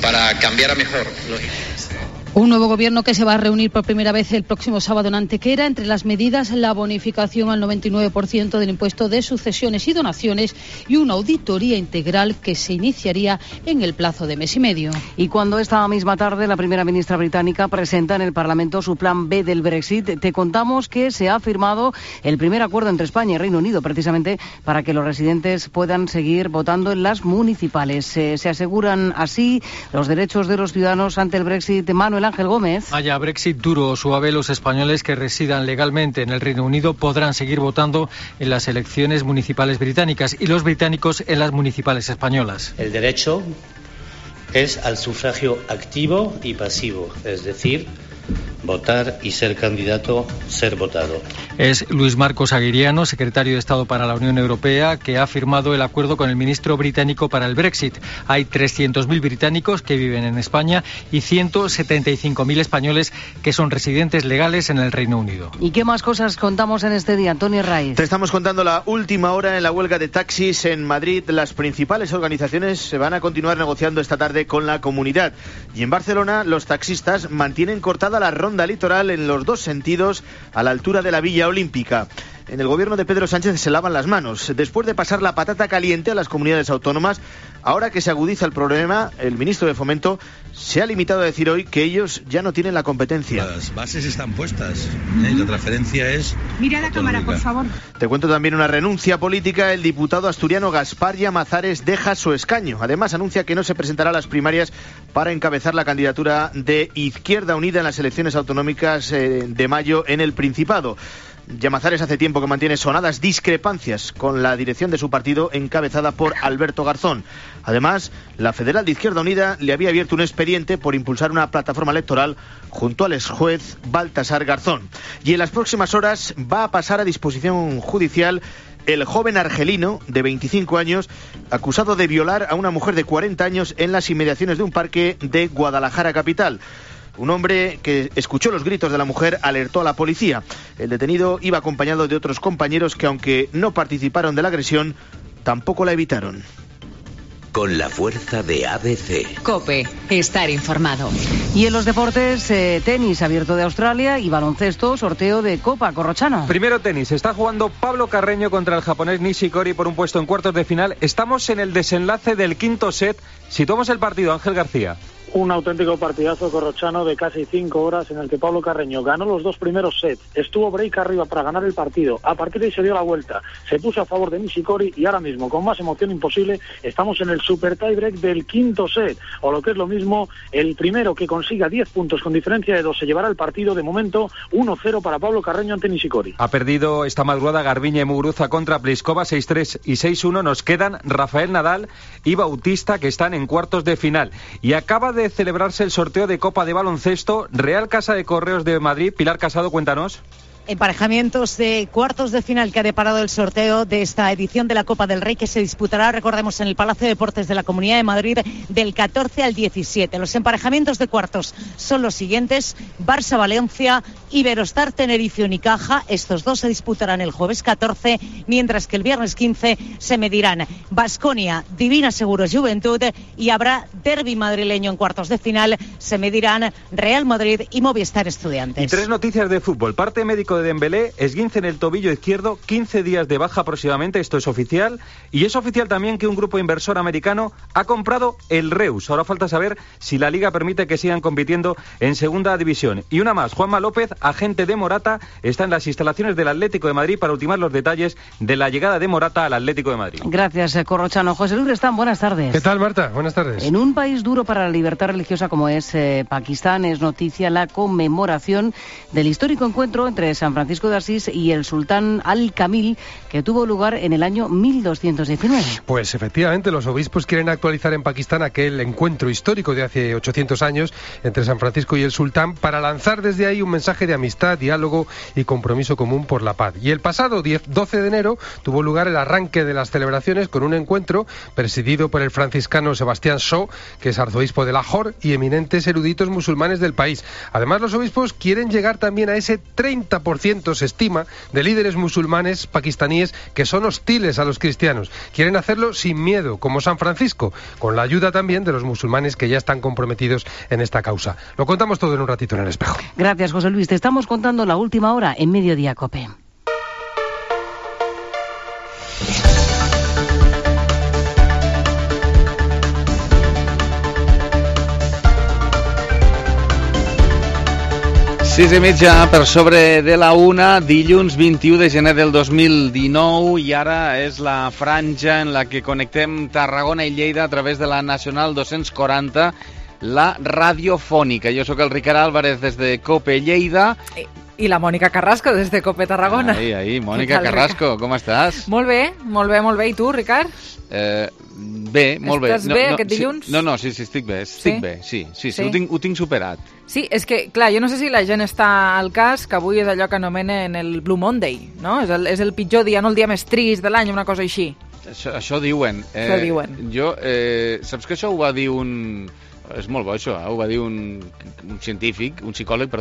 para cambiar a mejor. Un nuevo gobierno que se va a reunir por primera vez el próximo sábado en Antequera. Entre las medidas, la bonificación al 99% del impuesto de sucesiones y donaciones y una auditoría integral que se iniciaría en el plazo de mes y medio. Y cuando esta misma tarde la primera ministra británica presenta en el Parlamento su plan B del Brexit, te contamos que se ha firmado el primer acuerdo entre España y Reino Unido, precisamente para que los residentes puedan seguir votando en las municipales. Se aseguran así los derechos de los ciudadanos ante el Brexit. Manuel Ángel Gómez. Haya Brexit duro o suave, los españoles que residan legalmente en el Reino Unido podrán seguir votando en las elecciones municipales británicas y los británicos en las municipales españolas. El derecho es al sufragio activo y pasivo, es decir, votar y ser candidato, ser votado. Es Luis Marcos Aguiriano, secretario de Estado para la Unión Europea, que ha firmado el acuerdo con el ministro británico para el Brexit. Hay 300.000 británicos que viven en España y 175.000 españoles que son residentes legales en el Reino Unido. ¿Y qué más cosas contamos en este día, Antonio Raiz? Te estamos contando la última hora en la huelga de taxis en Madrid. Las principales organizaciones se van a continuar negociando esta tarde con la comunidad. Y en Barcelona, los taxistas mantienen cortada la ronda litoral en los dos sentidos a la altura de la Villa Olímpica. En el gobierno de Pedro Sánchez se lavan las manos. Después de pasar la patata caliente a las comunidades autónomas, ahora que se agudiza el problema, el ministro de Fomento se ha limitado a decir hoy que ellos ya no tienen la competencia. Las bases están puestas, y la transferencia es... Mira la cámara, por favor. Te cuento también una renuncia política. El diputado asturiano Gaspar Llamazares deja su escaño. Además, anuncia que no se presentará a las primarias para encabezar la candidatura de Izquierda Unida en las elecciones autonómicas de mayo en el Principado. Llamazares hace tiempo que mantiene sonadas discrepancias con la dirección de su partido encabezada por Alberto Garzón. Además, la Federal de Izquierda Unida le había abierto un expediente por impulsar una plataforma electoral junto al exjuez Baltasar Garzón. Y en las próximas horas va a pasar a disposición judicial el joven argelino de 25 años acusado de violar a una mujer de 40 años en las inmediaciones de un parque de Guadalajara capital. Un hombre que escuchó los gritos de la mujer alertó a la policía. El detenido iba acompañado de otros compañeros que, aunque no participaron de la agresión, tampoco la evitaron. Con la fuerza de ABC. COPE, estar informado. Y en los deportes, tenis abierto de Australia y baloncesto, sorteo de Copa Corrochano. Primero tenis, está jugando Pablo Carreño contra el japonés Nishikori por un puesto en cuartos de final. Estamos en el desenlace del quinto set. Situamos el partido, Ángel García. Un auténtico partidazo corrochano de casi 5 horas en el que Pablo Carreño ganó los 2 primeros sets, estuvo break arriba para ganar el partido, a partir de ahí se dio la vuelta, se puso a favor de Nishikori y ahora mismo, con más emoción imposible, estamos en el super tie break del quinto set, o lo que es lo mismo, el primero que consiga 10 puntos con diferencia de 2 se llevará el partido. De momento 1-0 para Pablo Carreño ante Nishikori. Ha perdido esta madrugada Garbiñe y Muguruza contra Pliskova 6-3 y 6-1. Nos quedan Rafael Nadal y Bautista, que están en cuartos de final. Y acaba de celebrarse el sorteo de Copa de Baloncesto, Real Casa de Correos de Madrid. Pilar Casado, cuéntanos. Emparejamientos de cuartos de final que ha deparado el sorteo de esta edición de la Copa del Rey, que se disputará, recordemos, en el Palacio de Deportes de la Comunidad de Madrid del 14 al 17. Los emparejamientos de cuartos son los siguientes: Barça-Valencia, Iberostar, Tenerife, Unicaja. Estos dos se disputarán el jueves 14, mientras que el viernes 15 se medirán Baskonia, Divina Seguros, Juventud, y habrá derbi madrileño en cuartos de final. Se medirán Real Madrid y Movistar Estudiantes. Y 3 noticias de fútbol. Parte médico de Dembélé, esguince en el tobillo izquierdo, 15 días de baja aproximadamente, esto es oficial. Y es oficial también que un grupo inversor americano ha comprado el Reus. Ahora falta saber si la Liga permite que sigan compitiendo en segunda división. Y una más, Juanma López, agente de Morata, está en las instalaciones del Atlético de Madrid para ultimar los detalles de la llegada de Morata al Atlético de Madrid. Gracias, Corrochano. José Luis Restán, buenas tardes. ¿Qué tal, Marta? Buenas tardes. En un país duro para la libertad religiosa como es Pakistán, es noticia la conmemoración del histórico encuentro entre San Francisco de Asís y el sultán Al-Kamil, que tuvo lugar en el año 1219. Pues efectivamente, los obispos quieren actualizar en Pakistán aquel encuentro histórico de hace 800 años entre San Francisco y el sultán, para lanzar desde ahí un mensaje de amistad, diálogo y compromiso común por la paz. Y el pasado 12 de enero tuvo lugar el arranque de las celebraciones con un encuentro presidido por el franciscano Sebastián Shaw, que es arzobispo de Lahore, y eminentes eruditos musulmanes del país. Además, los obispos quieren llegar también a ese 30%, se estima, de líderes musulmanes pakistaníes que son hostiles a los cristianos. Quieren hacerlo sin miedo, como San Francisco, con la ayuda también de los musulmanes que ya están comprometidos en esta causa. Lo contamos todo en un ratito en El Espejo. Gracias, José Luis. Te estamos contando la última hora en Mediodía COPE. Sis i mitja per sobre de la una, dilluns 21 de gener del 2019, i ara és la franja en la que connectem Tarragona i Lleida a través de la Nacional 240, la radiofònica. Jo sóc el Ricard Álvarez des de COPE Lleida. I la Mònica Carrasco des de COPE Tarragona. Ahí, Mònica Carrasco, com estàs? Molt bé. I tu, Ricard? Bé, molt bé. Estàs bé aquest dilluns? No, sí, estic bé, sí, ho tinc superat. Sí, és que, clar, jo no sé si la gent està al cas que avui és allò que anomenen el Blue Monday, no? És el pitjor dia, no el dia més trist de l'any, una cosa així. Això diuen. Saps que això ho va dir un... És molt bo, això, ho va dir un psicòleg,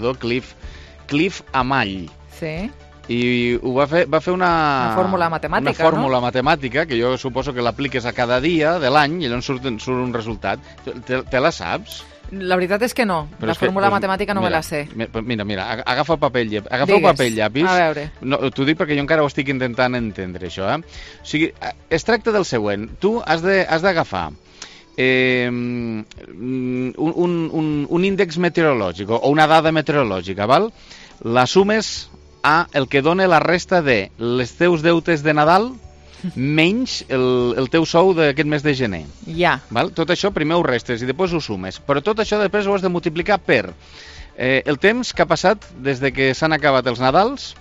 Cliff Amall. Sí. I ho va fer una fórmula matemàtica, una fórmula matemàtica, que jo suposo que l'apliques a cada dia de l'any i llavors surt un resultat. Te la saps? La veritat és que no. La fórmula matemàtica no me la sé. Mira, agafa paper i llapis. A veure. No, t'ho dic perquè jo encara ho estic intentant entendre, això. O sigui, es tracta del següent. Tu has d'agafar un índex meteorològic o una dada meteorològica, val? La sumes a el que dona la resta de les teus deutes de Nadal menys el teu sou d'aquest mes de gener. Ja. Val? Tot això primer ho restes i després ho sumes. Però tot això després ho has de multiplicar per el temps que ha passat des de que s'han acabat els Nadals,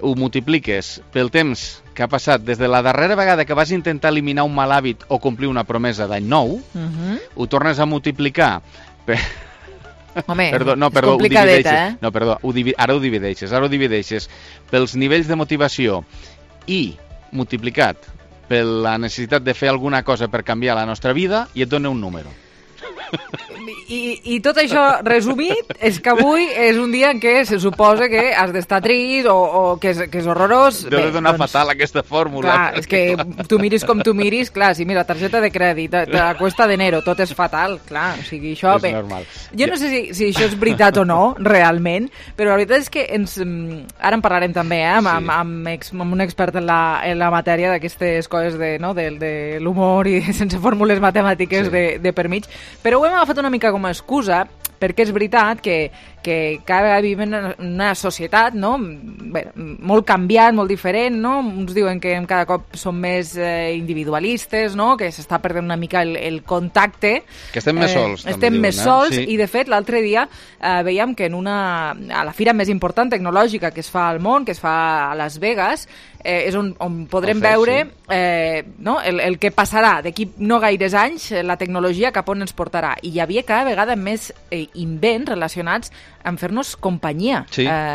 ho multipliques pel temps que ha passat des de la darrera vegada que vas intentar eliminar un mal hàbit o complir una promesa d'any nou, ho tornes a multiplicar per... Home, és complicadeta, No, perdó, ara ho divideixes pels nivells de motivació i multiplicat per la necessitat de fer alguna cosa per canviar la nostra vida i et dona un número. I tot això resumit és que avui és un dia en què se suposa que has d'estar trist o que és horrorós. Deu de donar fatal aquesta fórmula. Clar, és que tu miris com tu miris, clar, si mira, targeta de crèdit, la cuesta d'enero, tot és fatal, clar, o sigui, això... És normal. Jo no sé si això és veritat o no, realment, però la veritat és que ara en parlarem també, amb un expert en la matèria d'aquestes coses de l'humor i sense fórmules matemàtiques de per mig, però ho hem agafat una mica com a excusa perquè és veritat que cada vegada vivim en una societat, no? Bé, molt canviant, molt diferent, no? Uns diuen que cada cop som més individualistes, no? Que s'està perdent una mica el contacte. Que estem més sols. Estem més sols, sí. I de fet l'altre dia veiem que a la fira més important tecnològica que es fa al món, que es fa a Las Vegas, és on podrem veure el que passarà d'aquí no gaires anys, la tecnologia cap on ens portarà. I hi havia cada vegada més invents relacionats amb fer-nos companyia,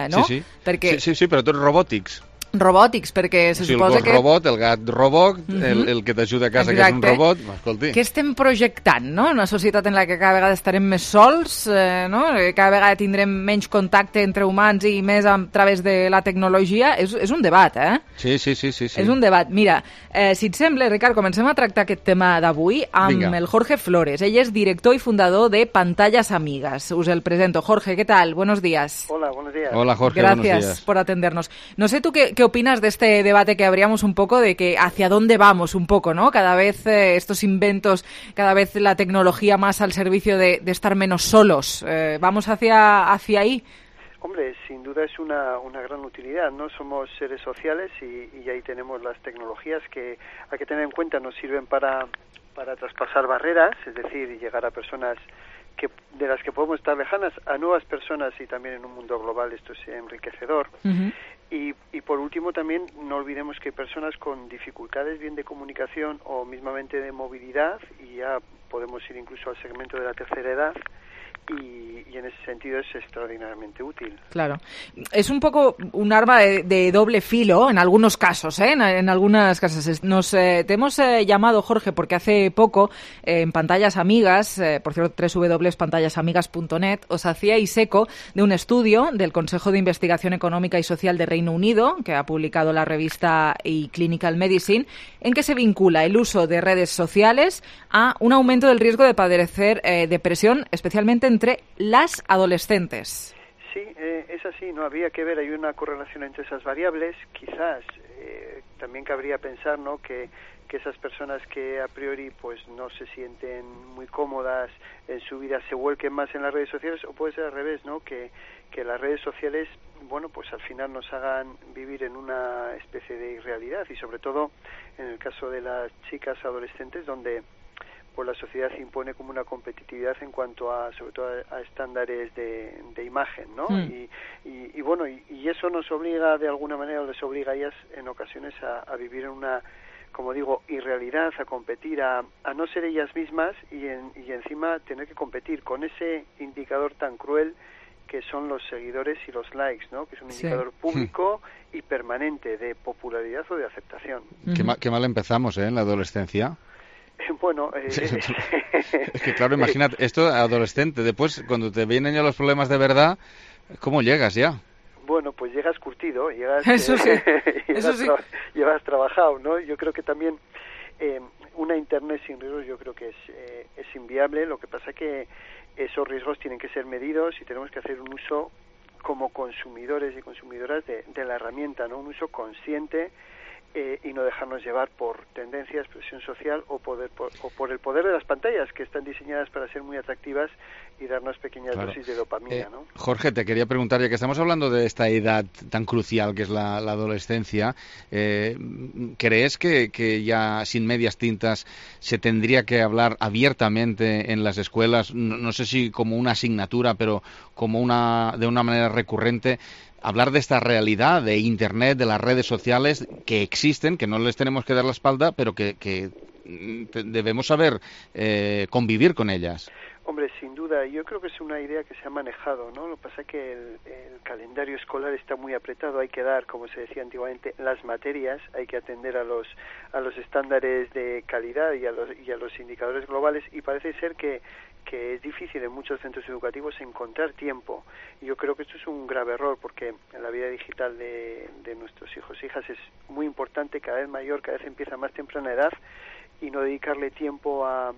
no? Sí. Perquè... Sí, però tots robòtics. Robòtics, perquè se suposa el robot, el gat robot, el que t'ajuda a casa, que és un robot, escolti. Què estem projectant, no? Una societat en la que cada vegada estarem més sols, no? Cada vegada tindrem menys contacte entre humans i més a través de la tecnologia. És un debat, Sí. És un debat. Mira, si et sembla, Ricard, comencem a tractar aquest tema d'avui amb el Jorge Flores. Ell és director y fundador de Pantallas Amigas. Us el presento. Jorge, ¿qué tal? Buenos días. Hola, buenos días. Hola, Jorge, Gracias buenos días. por atendernos. No sé tú qué opinas de este debate que abríamos un poco, de que hacia dónde vamos un poco, ¿no? Cada vez estos inventos, cada vez la tecnología más al servicio de estar menos solos. ¿Vamos hacia ahí? Hombre, sin duda es una gran utilidad, ¿no? Somos seres sociales y ahí tenemos las tecnologías que hay que tener en cuenta, nos sirven para traspasar barreras, es decir, llegar a personas de las que podemos estar lejanas, a nuevas personas, y también en un mundo global esto es enriquecedor. Y por último también no olvidemos que hay personas con dificultades bien de comunicación o mismamente de movilidad, y ya podemos ir incluso al segmento de la tercera edad, y en ese sentido es extraordinariamente útil. Claro. Es un poco un arma de doble filo en algunos casos, ¿eh? En algunas casas. Te hemos llamado, Jorge, porque hace poco en Pantallas Amigas, por cierto, www.pantallasamigas.net, os hacíais eco de un estudio del Consejo de Investigación Económica y Social de Reino Unido, que ha publicado la revista eClinical Medicine, en que se vincula el uso de redes sociales a un aumento del riesgo de padecer depresión, especialmente entre las adolescentes. Sí, es así, no habría que ver, hay una correlación entre esas variables. Quizás también cabría pensar, ¿no?, que esas personas que a priori pues no se sienten muy cómodas en su vida se vuelquen más en las redes sociales, o puede ser al revés, ¿no?, que las redes sociales, bueno, pues al final nos hagan vivir en una especie de irrealidad, y sobre todo en el caso de las chicas adolescentes, donde pues la sociedad impone como una competitividad en cuanto a, sobre todo a estándares de imagen, ¿no? Y bueno, y eso nos obliga de alguna manera, o les obliga a ellas en ocasiones a vivir en una, como digo, irrealidad, a competir, a no ser ellas mismas, y encima tener que competir con ese indicador tan cruel que son los seguidores y los likes, ¿no? Que es un indicador público y permanente de popularidad o de aceptación. Qué mal empezamos, en la adolescencia. Bueno, es que claro, imagínate, esto adolescente, después cuando te vienen ya los problemas de verdad, ¿cómo llegas ya? Bueno, pues llegas curtido, llegas trabajado, ¿no? Yo creo que también una internet sin riesgos yo creo que es inviable. Lo que pasa que esos riesgos tienen que ser medidos y tenemos que hacer un uso como consumidores y consumidoras de la herramienta, ¿no? Un uso consciente, y no dejarnos llevar por tendencias, presión social o por el poder de las pantallas, que están diseñadas para ser muy atractivas y darnos pequeñas dosis de dopamina, ¿no? Jorge, te quería preguntar, ya que estamos hablando de esta edad tan crucial que es la adolescencia, ¿crees que ya sin medias tintas se tendría que hablar abiertamente en las escuelas, no sé si como una asignatura, pero como de una manera recurrente, hablar de esta realidad de Internet, de las redes sociales que existen, que no les tenemos que dar la espalda, pero que debemos saber convivir con ellas? Hombre, sin duda, yo creo que es una idea que se ha manejado, ¿no? Lo que pasa es que el calendario escolar está muy apretado, hay que dar, como se decía antiguamente, las materias, hay que atender a los estándares de calidad y a los indicadores globales, y parece ser que es difícil en muchos centros educativos encontrar tiempo. Y yo creo que esto es un grave error, porque en la vida digital de nuestros hijos e hijas es muy importante, cada vez mayor, cada vez empieza a más temprana edad, y no dedicarle tiempo a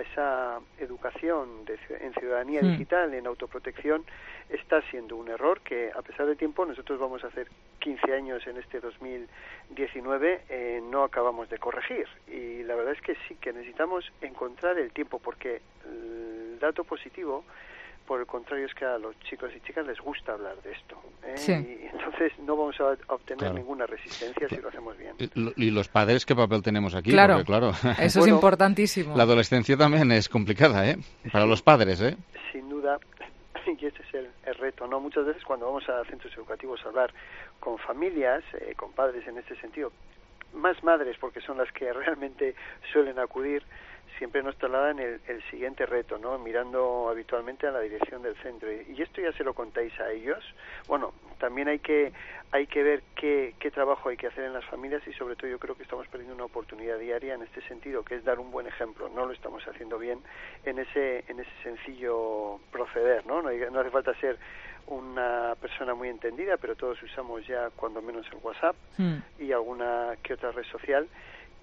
esa educación en ciudadanía digital, en autoprotección, está siendo un error que, a pesar del tiempo, nosotros vamos a hacer 15 años en este 2019, no acabamos de corregir. Y la verdad es que sí, que necesitamos encontrar el tiempo, porque el dato positivo, por el contrario, es que a los chicos y chicas les gusta hablar de esto, Sí. Y entonces no vamos a obtener ninguna resistencia si lo hacemos bien. ¿Y los padres qué papel tenemos aquí? Claro, porque, claro, eso es importantísimo. La adolescencia también es complicada, para los padres, Sin duda, y ese es el reto, ¿no? Muchas veces cuando vamos a centros educativos a hablar con familias, con padres en este sentido, más madres, porque son las que realmente suelen acudir, siempre nos trasladan el siguiente reto, ¿no? Mirando habitualmente a la dirección del centro. Y esto ya se lo contáis a ellos. Bueno, también hay que ver qué trabajo hay que hacer en las familias, y sobre todo yo creo que estamos perdiendo una oportunidad diaria en este sentido, que es dar un buen ejemplo. No lo estamos haciendo bien en ese sencillo proceder, ¿no? No hace falta ser una persona muy entendida, pero todos usamos ya cuando menos el WhatsApp y alguna que otra red social,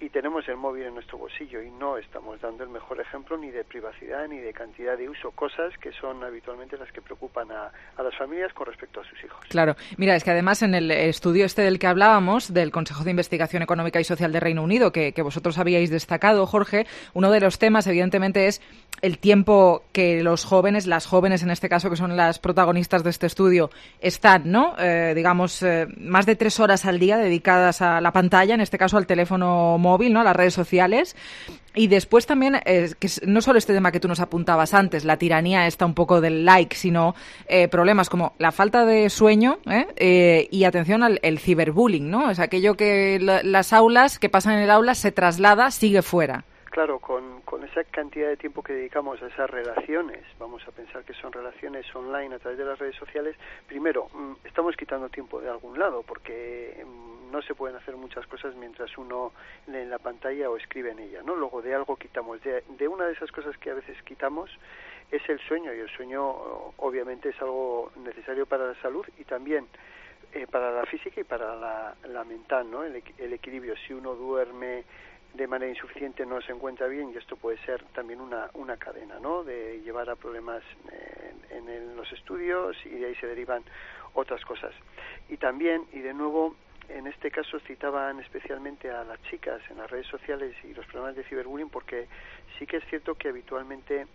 y tenemos el móvil en nuestro bolsillo y no estamos dando el mejor ejemplo ni de privacidad ni de cantidad de uso, cosas que son habitualmente las que preocupan a las familias con respecto a sus hijos. Claro, mira, es que además en el estudio del que hablábamos, del Consejo de Investigación Económica y Social de Reino Unido, que vosotros habíais destacado, Jorge, uno de los temas evidentemente es el tiempo que los jóvenes, las jóvenes en este caso, que son las protagonistas de este estudio, están, ¿no? Más de 3 horas al día dedicadas a la pantalla, en este caso al teléfono móvil, ¿no? A las redes sociales. Y después también, que no solo este tema que tú nos apuntabas antes, la tiranía esta un poco del like, sino problemas como la falta de sueño y atención al ciberbullying, ¿no? Es aquello que las aulas, que pasan en el aula, se traslada, sigue fuera. Claro, con esa cantidad de tiempo que dedicamos a esas relaciones, vamos a pensar que son relaciones online a través de las redes sociales, primero, estamos quitando tiempo de algún lado, porque no se pueden hacer muchas cosas mientras uno lee en la pantalla o escribe en ella, ¿no? Luego de algo quitamos. De una de esas cosas que a veces quitamos es el sueño, y el sueño obviamente es algo necesario para la salud y también para la física y para la mental, ¿no? El equilibrio. Si uno duerme de manera insuficiente, no se encuentra bien, y esto puede ser también una cadena, ¿no? De llevar a problemas en los estudios, y de ahí se derivan otras cosas. Y también, y de nuevo, en este caso citaban especialmente a las chicas en las redes sociales y los problemas de ciberbullying, porque sí que es cierto que habitualmente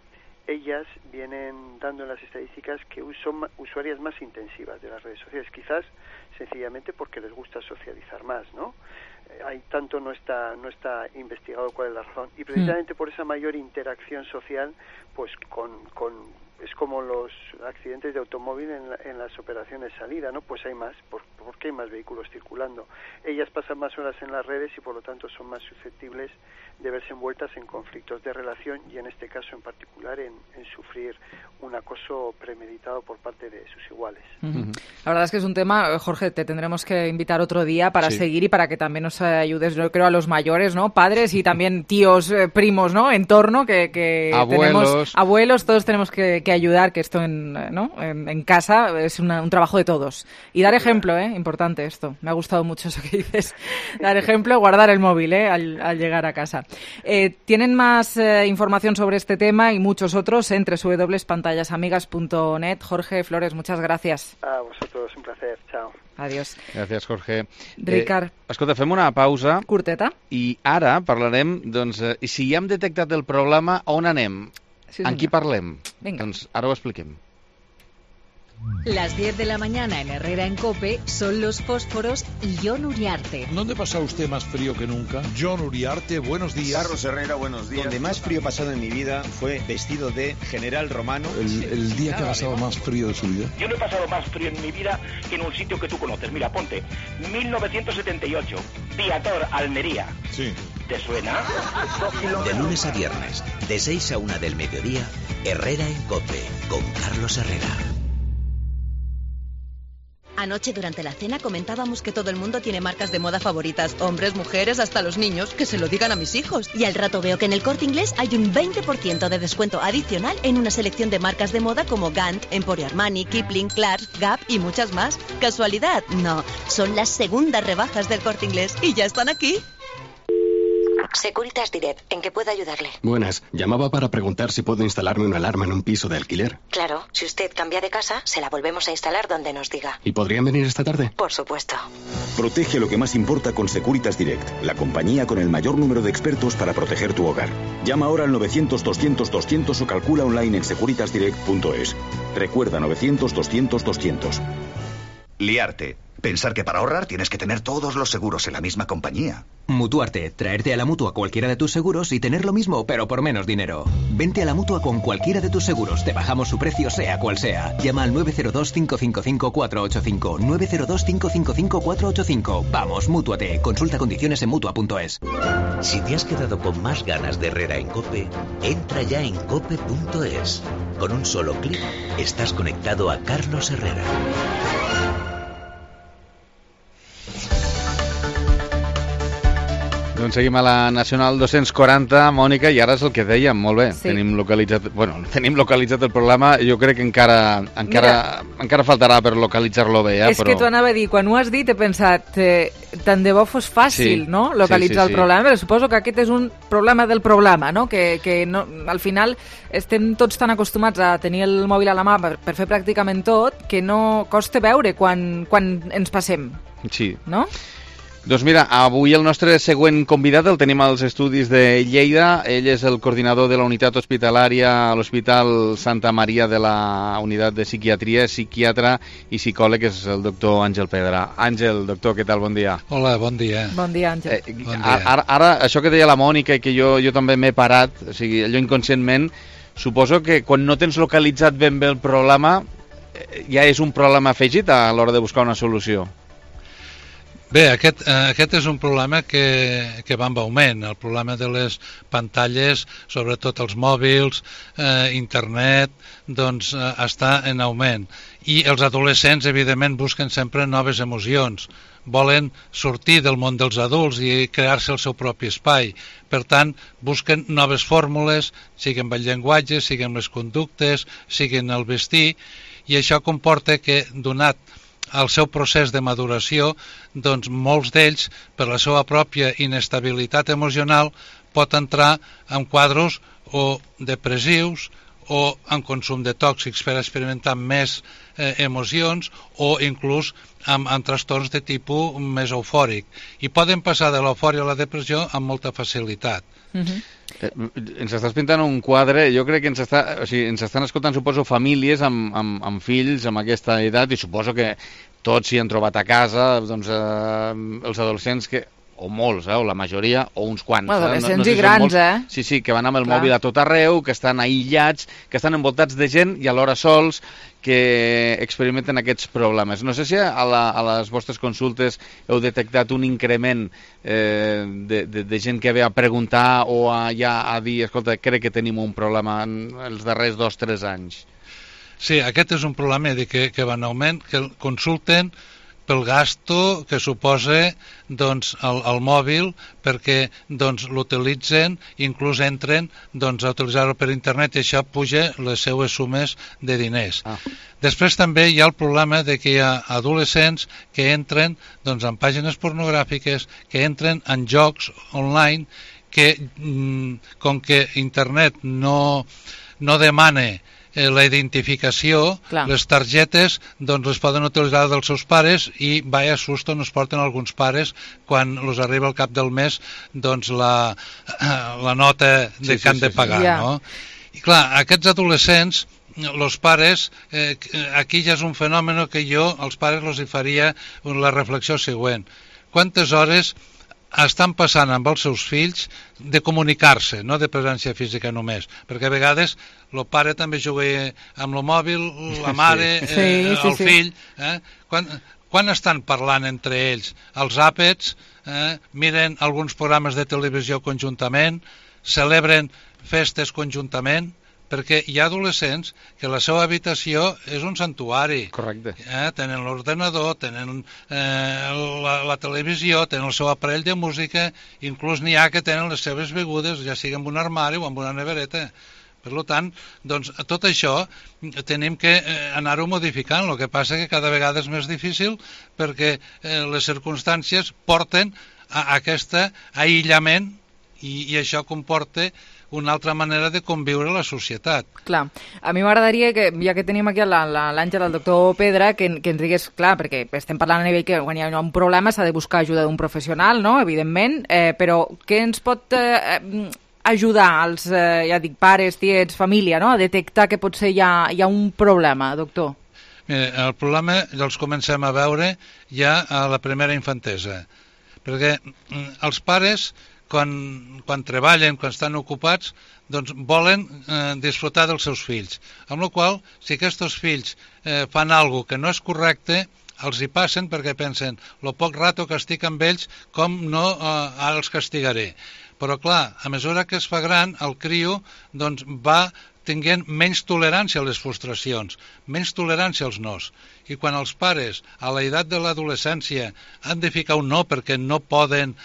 ellas vienen dando en las estadísticas que son usuarias más intensivas de las redes sociales, quizás sencillamente porque les gusta socializar más, ¿no? Hay tanto no está investigado cuál es la razón, y precisamente por esa mayor interacción social, pues es como los accidentes de automóvil en las operaciones salida, ¿no? Pues hay más, porque hay más vehículos circulando. Ellas pasan más horas en las redes y por lo tanto son más susceptibles de verse envueltas en conflictos de relación, y en este caso en particular en sufrir un acoso premeditado por parte de sus iguales. La verdad es que es un tema, Jorge, te tendremos que invitar otro día para seguir y para que también nos ayudes, yo creo, a los mayores, ¿no? Padres y también tíos, primos, ¿no? Entorno, que tenemos abuelos, todos tenemos que ayudar, que esto en casa es un trabajo de todos. Y dar ejemplo, importante esto. Me ha gustado mucho eso que dices. Dar ejemplo, guardar el móvil, al llegar a casa. Tienen más información sobre este tema y muchos otros en www.pantallasamigas.net. Jorge Flores, muchas gracias. A vosotros, un placer. Chao. Adiós. Gràcies, Jorge. Ricard. Escolta, fem una pausa. Curteta. I ara parlarem, doncs, si ja hem detectat el problema, on anem? Sí, amb qui parlem? Venga. Doncs ara ho expliquem. Las 10 de la mañana en Herrera en COPE son Los Fósforos y Jon Uriarte. ¿Dónde pasa usted más frío que nunca? Jon Uriarte, buenos días. Carlos Herrera, buenos días. Donde más frío he pasado en mi vida fue vestido de general romano. El día que ha pasado más frío de su vida. Yo no he pasado más frío en mi vida que en un sitio que tú conoces. Mira, ponte, 1978, Piator, Almería. Sí. ¿Te suena? De lunes a viernes, de 6 a 1 del mediodía, Herrera en COPE, con Carlos Herrera. Anoche durante la cena comentábamos que todo el mundo tiene marcas de moda favoritas, hombres, mujeres, hasta los niños, que se lo digan a mis hijos. Y al rato veo que en el Corte Inglés hay un 20% de descuento adicional en una selección de marcas de moda como Gant, Emporio Armani, Kipling, Clarks, Gap y muchas más. ¿Casualidad? No, son las segundas rebajas del Corte Inglés y ya están aquí. Securitas Direct, ¿en qué puedo ayudarle? Buenas, llamaba para preguntar si puedo instalarme una alarma en un piso de alquiler. Claro, si usted cambia de casa, se la volvemos a instalar donde nos diga. ¿Y podrían venir esta tarde? Por supuesto. Protege lo que más importa con Securitas Direct, la compañía con el mayor número de expertos para proteger tu hogar. Llama ahora al 900-200-200 o calcula online en securitasdirect.es. Recuerda, 900-200-200. Liarte. Pensar que para ahorrar tienes que tener todos los seguros en la misma compañía. Mutuarte, traerte a la Mutua cualquiera de tus seguros y tener lo mismo, pero por menos dinero. Vente a la Mutua con cualquiera de tus seguros, te bajamos su precio sea cual sea. Llama al 902-555-485, 902-555-485. Vamos, mútuate. Consulta condiciones en Mutua.es. Si te has quedado con más ganas de Herrera en COPE, entra ya en COPE.es. Con un solo clic, estás conectado a Carlos Herrera. Doncs seguim a la Nacional 240, Mònica, i ara és el que dèiem, molt bé. Sí. Tenim localitzat el programa, jo crec que encara faltarà per localitzar-lo bé. És que t'ho anava a dir, quan ho has dit he pensat, tant de bo fos fàcil, Sí. no?, localitzar Sí. el problema, però suposo que aquest és un problema del problema, no?, que no, al final estem tots tan acostumats a tenir el mòbil a la mà per fer pràcticament tot, que no costa veure quan ens passem, Sí. no? Doncs mira, avui el nostre següent convidat el tenim als estudis de Lleida. Ell és el coordinador de la unitat hospitalària a l'Hospital Santa Maria de la Unitat de Psiquiatria, psiquiatre i psicòleg, és el doctor Àngel Pedra. Àngel, doctor, què tal? Bon dia. Hola, bon dia. Bon dia, Àngel. Bon dia. Ara, això que deia la Mònica i que jo també m'he parat, o sigui, allò inconscientment, suposo que quan no tens localitzat ben bé el problema, ja és un problema afegit a l'hora de buscar una solució. Bé, aquest és un problema que va en augment, el problema de les pantalles, sobretot els mòbils, internet, doncs està en augment. I els adolescents, evidentment, busquen sempre noves emocions, volen sortir del món dels adults i crear-se el seu propi espai. Per tant, busquen noves fórmules, siguin el llenguatge, siguin les conductes, siguin el vestir, i això comporta que, donat al seu procés de maduració, doncs molts d'ells, per la seva pròpia inestabilitat emocional, pot entrar en quadros o depressius o en consum de tòxics per experimentar més emocions o inclús amb trastorns de tipus més eufòric. I poden passar de l'eufòria a la depressió amb molta facilitat. Ens estàs pintant un quadre, jo crec que ens estan escoltant, suposo, famílies amb fills amb aquesta edat, i suposo que tots s'hi han trobat a casa, doncs els adolescents que, o molts, o la majoria, o uns quants. Adolescents i grans, Sí, que van amb el mòbil a tot arreu, que estan aïllats, que estan envoltats de gent i alhora sols, que experimenten aquests problemes. No sé si a les vostres consultes heu detectat un increment de gent que ve a preguntar o ja a dir, escolta, crec que tenim un problema en els darrers 2-3 anys. Sí, aquest és un problema que va en augment, que consulten pel gasto que suposa doncs, el mòbil, perquè doncs, l'utilitzen, inclús entren doncs, a utilitzar-ho per internet, i això puja les seues sumes de diners. Després també hi ha el problema de que hi ha adolescents que entren doncs, en pàgines pornogràfiques, que entren en jocs online, que com que internet no demana la identificació, les targetes doncs les poden utilitzar dels seus pares, i vaya susto nos porten alguns pares quan els arriba al cap del mes doncs la nota que han de pagar, no? I clar, aquests adolescents, els pares, aquí ja és un fenomen que jo als pares els hi faria la reflexió següent: quantes hores estan passant amb els seus fills de comunicar-se, no de presència física només, perquè a vegades el pare també juga amb el mòbil, la mare, el fill, quan estan parlant entre ells? Els àpats, miren alguns programes de televisió conjuntament, celebren festes conjuntament, perquè hi ha adolescents que la seva habitació és un santuari. Correcte. Tenen l'ordenador, tenen la televisió, tenen el seu aparell de música, inclús n'hi ha que tenen les seves begudes, ja sigui en un armari o en una nevereta. Per tant, doncs, tot això tenim que anar-ho modificant. El que passa que cada vegada és més difícil perquè les circumstàncies porten a aquest aïllament i això comporta una altra manera de conviure a la societat. Clar, a mi m'agradaria que, ja que tenim aquí l'Àngel, el doctor Pedra, que ens digués, clar, perquè estem parlant a nivell que quan hi ha un problema s'ha de buscar ajuda d'un professional, no?, evidentment, però què ens pot ajudar als, ja dic, pares, tiets, família, no?, a detectar que potser hi ha un problema, doctor? El problema els comencem a veure ja a la primera infantesa, perquè els pares, quan treballen, quan estan ocupats, doncs volen disfrutar dels seus fills. Amb la qual cosa, si aquests fills fan alguna que no és correcte, els hi passen perquè pensen lo poc rato que estic amb ells, com no ara els castigaré. Però clar, a mesura que es fa gran, el crio doncs, va tinguent menys tolerància a les frustracions, menys tolerància als nos. I quan els pares, a l'edat de l'adolescència, han de ficar un no perquè no poden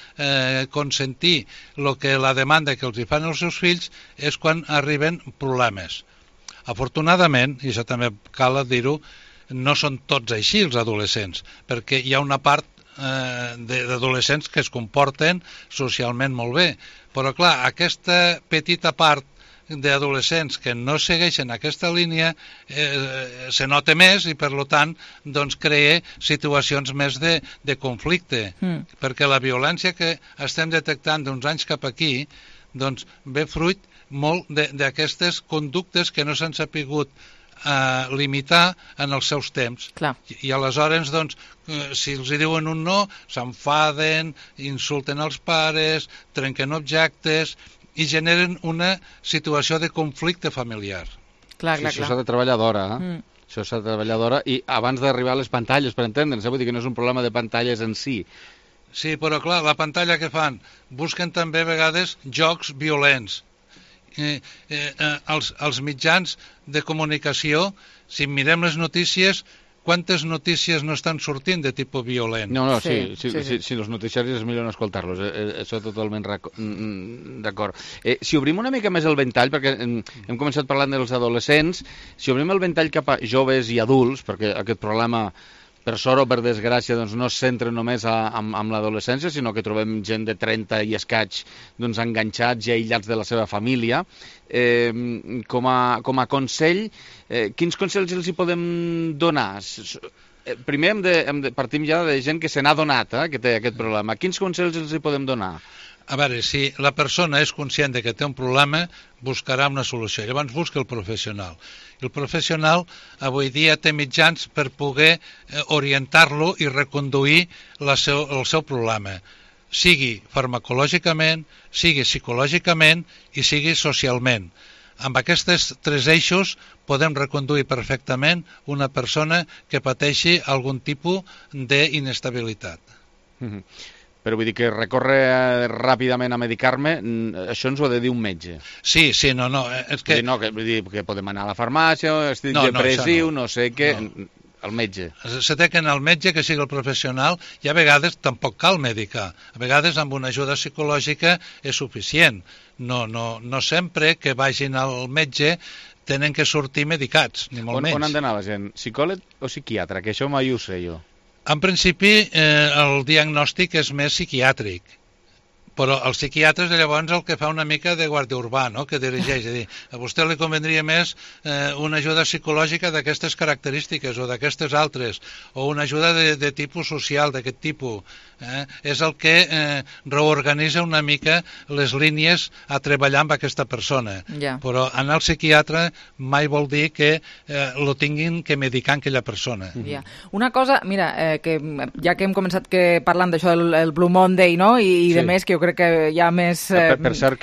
consentir la demanda que els hi fan els seus fills, és quan arriben problemes. Afortunadament, i això també cal dir-ho, no són tots així els adolescents, perquè hi ha una part d'adolescents que es comporten socialment molt bé. Però clar, aquesta petita part d'adolescents que no segueixen aquesta línia se nota més i per tant doncs, crea situacions més de conflicte, perquè la violència que estem detectant d'uns anys cap aquí doncs, ve fruit molt d'aquestes conductes que no s'han sapigut limitar en els seus temps. Clar. I aleshores doncs, si els diuen un no, s'enfaden, insulten els pares, trenquen objectes i generen una situació de conflicte familiar. Clar. Això s'ha de treballar d'hora, Això s'ha de treballar d'hora i abans d'arribar a les pantalles, per entendre'ns, vull dir que no és un problema de pantalles en si. Sí, però clar, la pantalla que fan? Busquen també a vegades jocs violents. Els mitjans de comunicació, si mirem les notícies, quantes notícies no estan sortint de tipus violent? No, sí, els noticiaris és millor no escoltar-los, això totalment d'acord. Si obrim una mica més el ventall, perquè hem començat parlant dels adolescents, si obrim el ventall cap a joves i adults, perquè aquest problema, per sort o per desgràcia, doncs no es centra només amb l'adolescència, sinó que trobem gent de 30 i escaig doncs, enganxats i aïllats de la seva família. Com a consell, quins consells els hi podem donar? Primer partim ja de gent que se n'ha donat que té aquest problema. Quins consells els hi podem donar? A veure, si la persona és conscient de que té un problema, buscarà una solució. Llavors busca el professional. El professional avui dia té mitjans per poder orientar-lo i reconduir el seu problema, sigui farmacològicament, sigui psicològicament i sigui socialment. Amb aquests tres eixos podem reconduir perfectament una persona que pateixi algun tipus d'inestabilitat. Però vull dir que recórrer ràpidament a medicar-me, això ens ho ha de dir un metge. Sí, no, és que... Vull dir que podem anar a la farmàcia, estic depressiu, no sé què... El metge. Se té que anar al metge, que sigui el professional, i a vegades tampoc cal medicar. A vegades amb una ajuda psicològica és suficient. No sempre que vagin al metge tenen que sortir medicats, ni molt menys. On han d'anar la gent? Psicòleg o psiquiatre? Que això mai ho sé jo. En principi, el diagnòstic és més psiquiàtric, però el psiquiatre és llavors el que fa una mica de guàrdia urbà, no? Que dirigeix. És a dir, a vostè li convendria més una ajuda psicològica d'aquestes característiques o d'aquestes altres, o una ajuda de tipus social, d'aquest tipus. És el que reorganitza una mica les línies a treballar amb aquesta persona. Però anar al psiquiatre mai vol dir que lo tinguin que medicar aquella persona. Una cosa, mira, que ja que hem començat parlant d'això del Blue Monday, no? I de més, que jo crec que hi ha més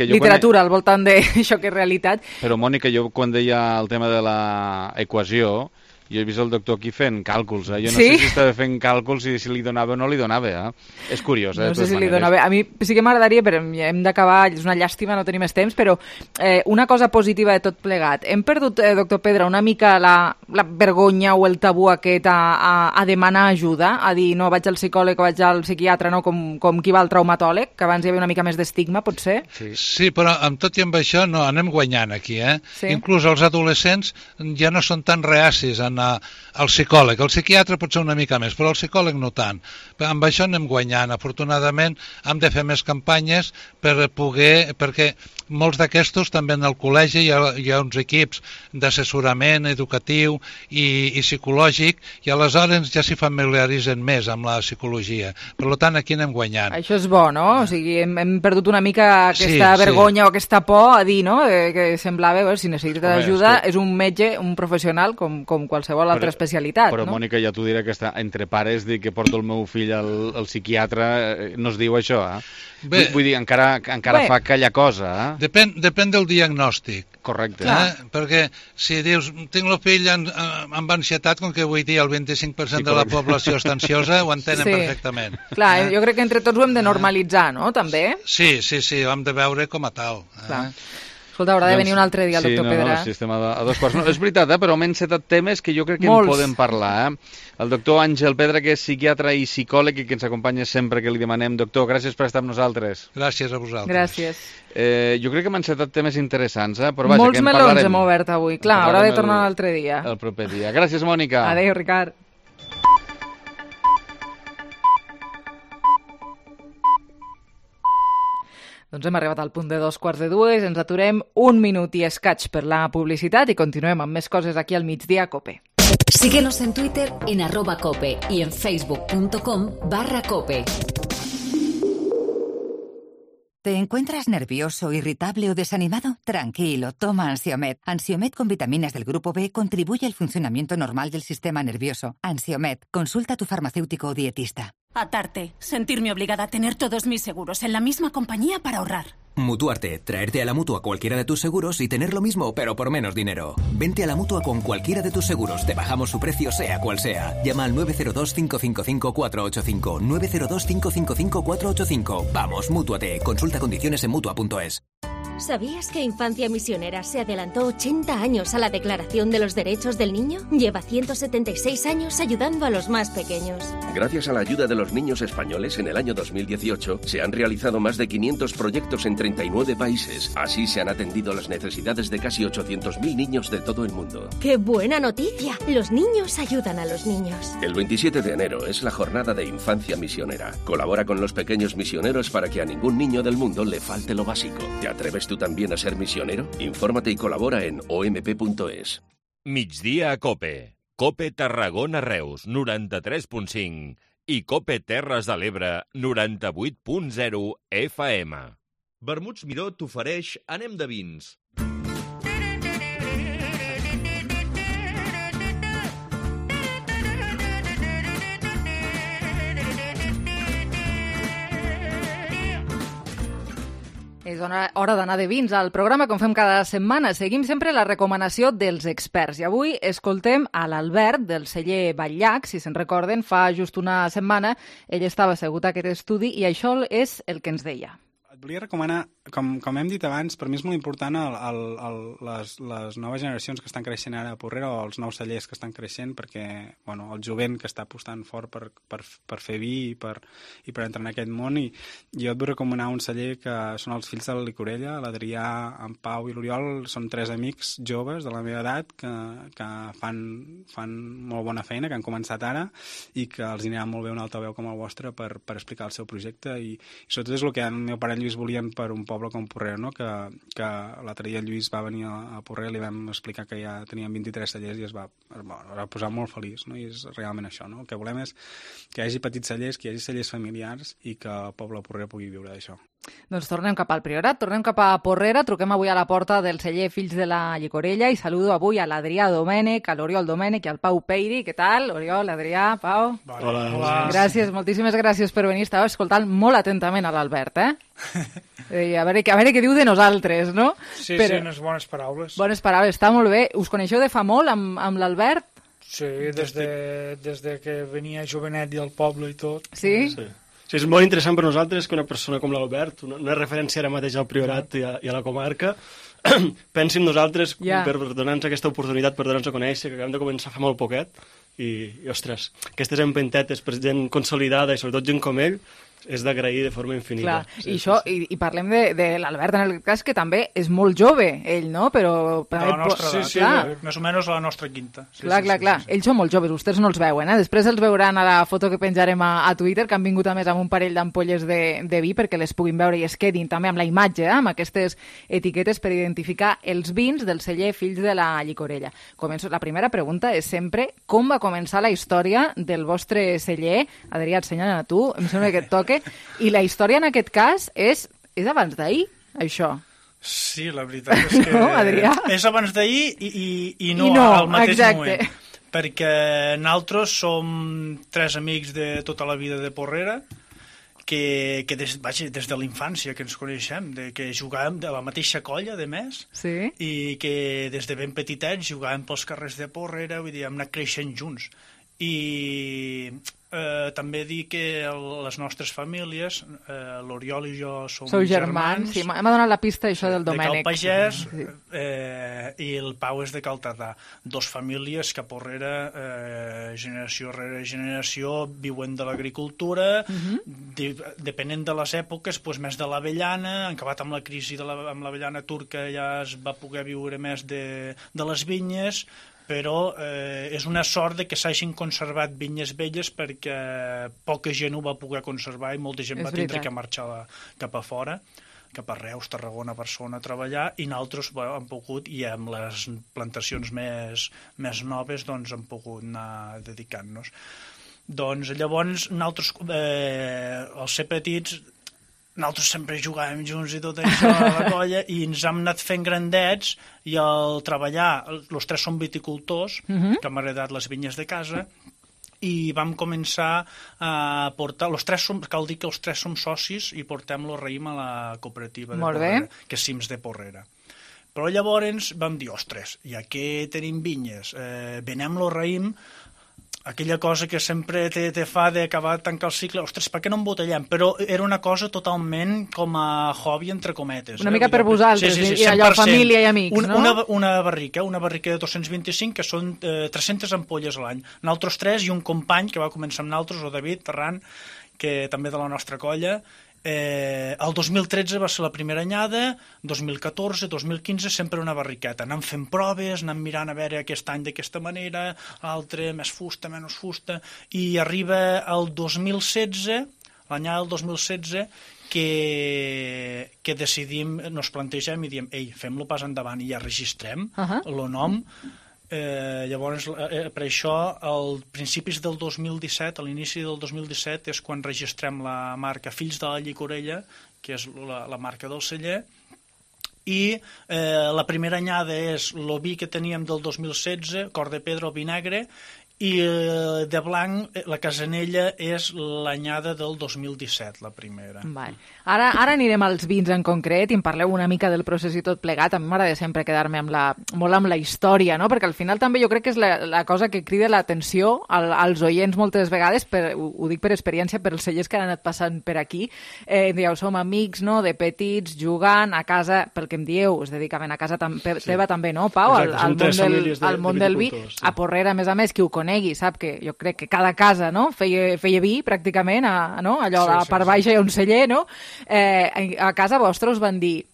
literatura al voltant d'això que és realitat. Però, Mònica, jo quan deia el tema de l'equació, jo he vist el doctor aquí fent càlculs. Jo no sé si estava fent càlculs i si li donava o no li donava. És curiós. No sé si li donava. A mi sí que m'agradaria, però hem d'acabar, és una llàstima, no tenim més temps, però una cosa positiva de tot plegat. Hem perdut, doctor Pedra, una mica la vergonya o el tabú aquest a demanar ajuda, a dir, no, vaig al psicòleg o vaig al psiquiatre, no, com qui va al traumatòleg, que abans hi havia una mica més d'estigma, potser? Sí, però amb tot i amb això no, anem guanyant aquí. Inclús els adolescents ja no són tan reacis a al psicòleg. El psiquiatre pot ser una mica més, però el psicòleg no tant. Amb això anem guanyant. Afortunadament hem de fer més campanyes per poder... perquè molts d'aquestos també en el col·legi hi ha uns equips d'assessorament educatiu i psicològic, i aleshores ja s'hi familiaritzen més amb la psicologia. Per tant, aquí anem guanyant. Això és bo, no? O sigui, hem perdut una mica aquesta vergonya o aquesta por a dir, no? Que semblava, si necessita ajuda, és un metge, un professional com qualsevol altra especialitat. Però, Mònica, ja t'ho diré que està entre pares dir que porto el meu fill al psiquiatre, no es diu això, Vull dir, encara fa aquella cosa, Depèn del diagnòstic. Correcte. Perquè si dius, tinc el fill amb ansietat, com que vull dir el 25% de la població està ansiosa, ho entenen perfectament. Clar, jo crec que entre tots ho hem de normalitzar, no?, també? Sí, ho hem de veure com a tal. Clar. Escolta, haurà de venir un altre dia el doctor Pedra. Sí, estem a 2 quarts. És veritat, però hem encetat temes que jo crec que en podem parlar. El doctor Àngel Pedra, que és psiquiatre i psicòleg i que ens acompanya sempre que li demanem. Doctor, gràcies per estar amb nosaltres. Gràcies a vosaltres. Gràcies. Jo crec que hem encetat temes interessants, però vaja, molts melons hem obert avui. Clar, haurà de tornar l'altre dia. El proper dia. Gràcies, Mònica. Adéu, Ricard. Doncs hem arribat al punt de 2:15, ens aturem 1 minut i escaig per la publicitat i continuem amb més coses aquí al Migdia Cope. Síguenos en Twitter en @cope y en facebook.com/cope. ¿Te encuentras nervioso, irritable o desanimado? Tranquilo, toma Ansiomed. Ansiomed con vitaminas del grupo B contribuye al funcionamiento normal del sistema nervioso. Ansiomed, consulta a tu farmacéutico o dietista. Atarte, sentirme obligada a tener todos mis seguros en la misma compañía para ahorrar. Mutuarte, traerte a la Mutua cualquiera de tus seguros y tener lo mismo, pero por menos dinero. Vente a la Mutua con cualquiera de tus seguros, te bajamos su precio sea cual sea. Llama al 902-555-485, 902-555-485. Vamos, mútuate, consulta condiciones en Mutua.es. ¿Sabías que Infancia Misionera se adelantó 80 años a la Declaración de los Derechos del Niño? Lleva 176 años ayudando a los más pequeños. Gracias a la ayuda de los niños españoles, en el año 2018 se han realizado más de 500 proyectos en 39 países. Así se han atendido las necesidades de casi 800.000 niños de todo el mundo. ¡Qué buena noticia! Los niños ayudan a los niños. El 27 de enero es la jornada de Infancia Misionera. Colabora con los pequeños misioneros para que a ningún niño del mundo le falte lo básico. ¿Te atreves tú también a ser misionero? Infórmate y colabora en omp.es. Migdia a Cope. Cope Tarragona Reus, 93.5 i Cope Terres de l'Ebre, 98.0 FM. Vermuts Miró t'ofereix Anem de vins. És hora d'anar de vins al programa, com fem cada setmana. Seguim sempre la recomanació dels experts. I avui escoltem a l'Albert, del celler Batllac. Si se'n recorden, fa just una setmana ell estava assegut a aquest estudi i això és el que ens deia. Et volia recomanar, com hem dit abans, per mi és molt important les noves generacions que estan creixent ara a Porrera, o els nous cellers que estan creixent, perquè el jovent que està apostant fort per fer vi i per entrar en aquest món, i jo et vull recomanar un celler que són els fills de la Licorella, l'Adrià, en Pau i l'Oriol. Són 3 amics joves de la meva edat que fan molt bona feina, que han començat ara i que els anirà molt bé un altaveu com el vostre per explicar el seu projecte, i sobretot és el que el meu pare Lluís volien per un poble com Porrera, no? Que l'altre dia Lluís va venir a Porrera, li vam explicar que ja tenien 23 cellers i es va posar molt feliç, no? I és realment això, no? El que volem és que hi hagi petits cellers, que hi hagi cellers familiars i que el poble de Porrera pugui viure d'això. Doncs tornem cap al Priorat, tornem cap a Porrera, truquem avui a la porta del celler Fills de la Llicorella i saludo avui a l'Adrià Domènech, a l'Oriol Domènech i al Pau Peiri. Què tal? Oriol, Adrià, Pau? Hola. Gràcies, moltíssimes gràcies per venir. Estava escoltant molt atentament a l'Albert, a veure què diu de nosaltres, no? Sí, unes bones paraules. Bones paraules, està molt bé. Us coneixeu de fa molt amb l'Albert? Sí, des de que venia jovenet i al poble i tot. Sí? Sí, és molt interessant per nosaltres que una persona com l'Albert, una referència ara mateix al Priorat i a la comarca, pensi en nosaltres per donar-nos aquesta oportunitat, per donar-nos a conèixer, que acabem de començar fa molt poquet, i ostres, aquestes empentetes per gent consolidada i sobretot gent com ell, és d'agrair de forma infinita. Clar, i parlem de l'Albert en el cas, que també és molt jove, ell, no? Però la nostra edat, sí, més o menys la nostra quinta. Clar. Ells són molt joves, vostès no els veuen, Després els veuran a la foto que penjarem a Twitter, que han vingut a més amb un parell d'ampolles de vi perquè les puguin veure i es quedin també amb la imatge, amb aquestes etiquetes per identificar els vins del celler Fills de la Llicorella. La primera pregunta és sempre com va començar la història del vostre celler. Adrià, ensenya'm a tu, em sembla que et toca. I la història en aquest cas és abans d'ahir, això. Sí, la veritat és que Adrià? És abans d'ahir i no al mateix moment. Perquè nosaltres som 3 amics de tota la vida de Porrera, que des de la infància que ens coneixem, que jugàvem de la mateixa colla, de més, sí? I que des de ben petitets jugàvem pels carrers de Porrera, vull dir, hem anat creixent junts. I també dir que les nostres famílies, l'Oriol i jo som germans. Sí, m'ha donat la pista això del Domènec. De Cal Pagès, i el Pau és de Cal Tardà. 2 famílies que a Porrera, generació rere generació, viuen de l'agricultura, depenent de les èpoques, doncs més de l'avellana, han acabat amb la crisi amb l'avellana turca, ja es va poder viure més de les vinyes, però és una sort que s'hagin conservat vinyes velles perquè poca gent ho va poder conservar i molta gent va tindre que marxar cap a fora, cap a Reus, Tarragona, Barcelona a treballar, i nosaltres hem pogut, i amb les plantacions més noves, doncs hem pogut anar dedicant-nos. Doncs llavors, nosaltres, al ser petits, nosaltres sempre jugàvem junts i tot això a la colla, i ens hem anat fent grandets, i al treballar, els 3 som viticultors, que hem heredat les vinyes de casa, i vam començar a portar, cal dir que els 3 som socis i portem el raïm a la cooperativa de Porrera, que és Cims de Porrera. Però llavors vam dir, ostres, ja que tenim vinyes, venem el raïm, aquella cosa que sempre te fa d'acabar de tancar el cicle, ostres, per què no embotellem? Però era una cosa totalment com a hobby, entre cometes. Una mica per vosaltres, i allò, família i amics, no? Una barrica de 225, que són 300 ampolles a l'any. Nosaltres 3 i un company que va començar amb nosaltres, el David Terran, que també de la nostra colla. El 2013 va ser la primera anyada, 2014, 2015, sempre una barriqueta. Anem fent proves, anem mirant a veure aquest any d'aquesta manera, l'altre més fusta, menys fusta, i arriba el 2016, l'anyada del 2016, que decidim, nos plantegem i diem, ei, fem-lo pas endavant i ja registrem el nom. Llavors, per això, als principis del 2017, a l'inici del 2017, és quan registrem la marca Fills de la Llicorella, que és la marca del celler, i la primera anyada és el vi que teníem del 2016, Cor de Pedra o vi negre, i de blanc, la Casanella és l'anyada del 2017, la primera. Ara anirem als vins en concret i em parleu una mica del procés i tot plegat. A mi m'agrada sempre quedar-me molt amb la història, no? Perquè al final també jo crec que és la cosa que crida l'atenció als oients moltes vegades, ho dic per experiència, per els cellers que han anat passant per aquí. Dieu, som amics, no?, de petits, jugant a casa, pel que em dieu, es dedicaven a casa teva també, no, Pau? Al món del vi. A Porrera, a més, qui ho conegui, sap que jo crec que cada casa, no?, feia vi pràcticament, no? Allò, a part baixa hi ha un celler, no? A casa vostra us van dir,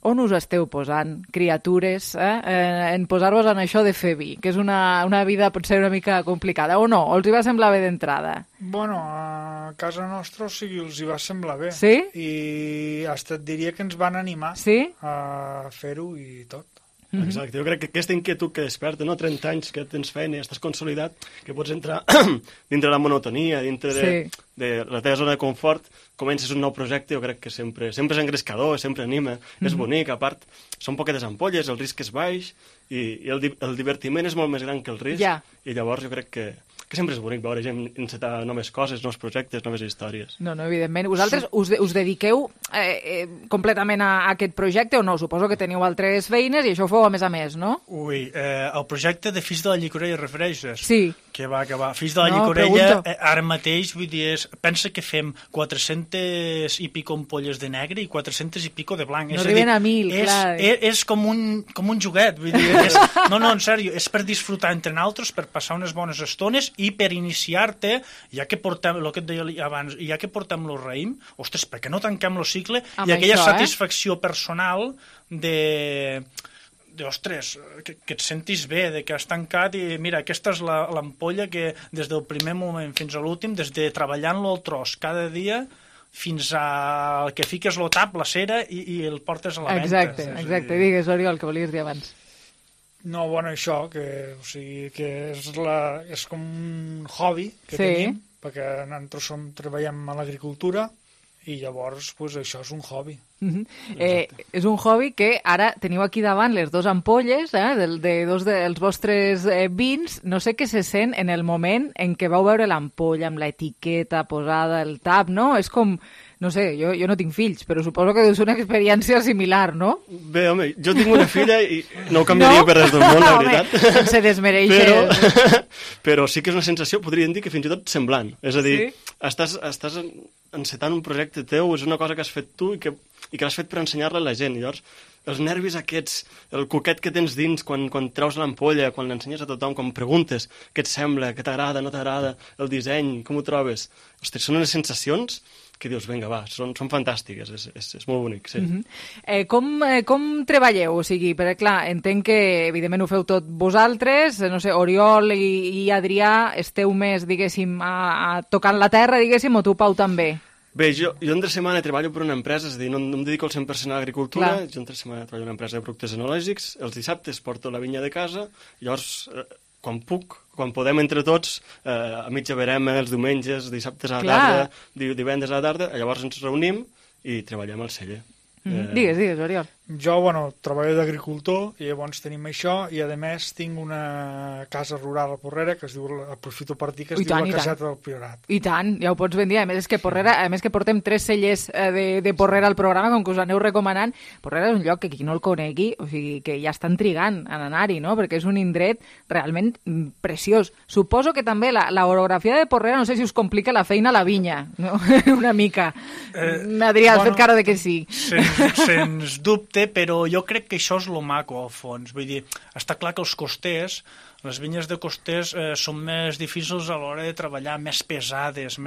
on us esteu posant, criatures, en posar-vos en això de fer vi, que és una vida potser una mica complicada, o no? O els hi va semblar bé d'entrada? Bueno, a casa nostra, o sigui, els hi va semblar bé. Sí? I hasta et diria que ens van animar a fer-ho i tot. Exacte, jo crec que aquesta inquietud que desperta, no? 30 anys que tens feina i estàs consolidat, que pots entrar dintre la monotonia, dintre de la teva zona de confort, comences un nou projecte, jo crec que sempre és engrescador, sempre anima, és bonic, a part, són poquetes ampolles, el risc és baix, i el divertiment és molt més gran que el risc, i llavors jo crec que sempre és bonic veure gent encetar noves coses, nous projectes, noves històries. No, evidentment. Vosaltres us dediqueu completament a aquest projecte o no? Suposo que teniu altres feines i això ho feu a més, no? Ui, el projecte de Fills de la Llicorella refereixes? Sí. Que va. Fills de la Llicorella, ara mateix, vull dir, pensa que fem 400 i pico ampolles de negre i 400 i pico de blanc. No arriben a 1.000, clar. És com un joguet, vull dir, no, en sèrio, és per disfrutar entre nosaltres, per passar unes bones estones i per iniciar-te, ja que portem, el que et deia abans, ja que portem el raïm, ostres, per què no tanquem el cicle i aquella satisfacció personal ostres, que et sentis bé, que has tancat i mira, aquesta és l'ampolla que des del primer moment fins a l'últim, des de treballant-lo al tros cada dia fins a que fiques el tap, la cera i el portes a la venda. Exacte. Digues, Oriol, que volies dir abans. No, bueno, això, que és com un hobby que tenim, perquè nosaltres treballem a l'agricultura i llavors això és un hobby. És un hobby que ara teniu aquí davant les dues ampolles de dos dels vostres vins. No sé què se sent en el moment en què vau veure l'ampolla amb l'etiqueta posada, el tap, no? És com, no sé, jo no tinc fills, però suposo que és una experiència similar, no? Bé, home, jo tinc una filla i no ho canviaria per res del món, la veritat. Sense desmereixer. Però sí que és una sensació, podríem dir que fins i tot semblant. És a dir, estàs encetant un projecte teu, és una cosa que has fet tu i que l'has fet per ensenyar-la a la gent. Llavors, els nervis aquests, el coquet que tens dins quan treus l'ampolla, quan l'ensenyes a tothom, quan preguntes què et sembla, què t'agrada, no t'agrada, el disseny, com ho trobes. Ostres, són unes sensacions que dius, vinga, va, són fantàstiques, és molt bonic, sí. Com treballeu? O sigui, perquè, clar, entenc que, evidentment, ho feu tot vosaltres, no sé, Oriol i Adrià, esteu més, diguéssim, tocant la terra, diguéssim, o tu, Pau, també? Bé, jo entre setmana treballo per una empresa, és a dir, no em dedico al 100% a l'agricultura, jo entre setmana treballo en una empresa de productes enològics, els dissabtes porto la vinya de casa, llavors, quan puc, quan podem entre tots, a mitja verema, els diumenges, dissabtes a la tarda, divendres a la tarda, llavors ens reunim i treballem al celler. Digues, Oriol. Jo, treballo d'agricultor i llavors tenim això i, a més, tinc una casa rural a Porrera que es diu, aprofito per dir, que es diu la Caseta del Priorat. I tant, ja ho pots ben dir. A més, que portem 3 cellers de Porrera al programa, com que us aneu recomanant. Porrera és un lloc que qui no el conegui, o sigui, que ja estan trigant en anar-hi, no? Perquè és un indret realment preciós. Suposo que també l'orografia de Porrera, no sé si us complica la feina a la vinya, no? Una mica. Adrià, has fet cara de que sí. Sens dubte, però jo crec que això és lo maco, al fons. Vull dir, està clar que els costers, les vinyes de costers són més difícils a l'hora de treballar, més pesades,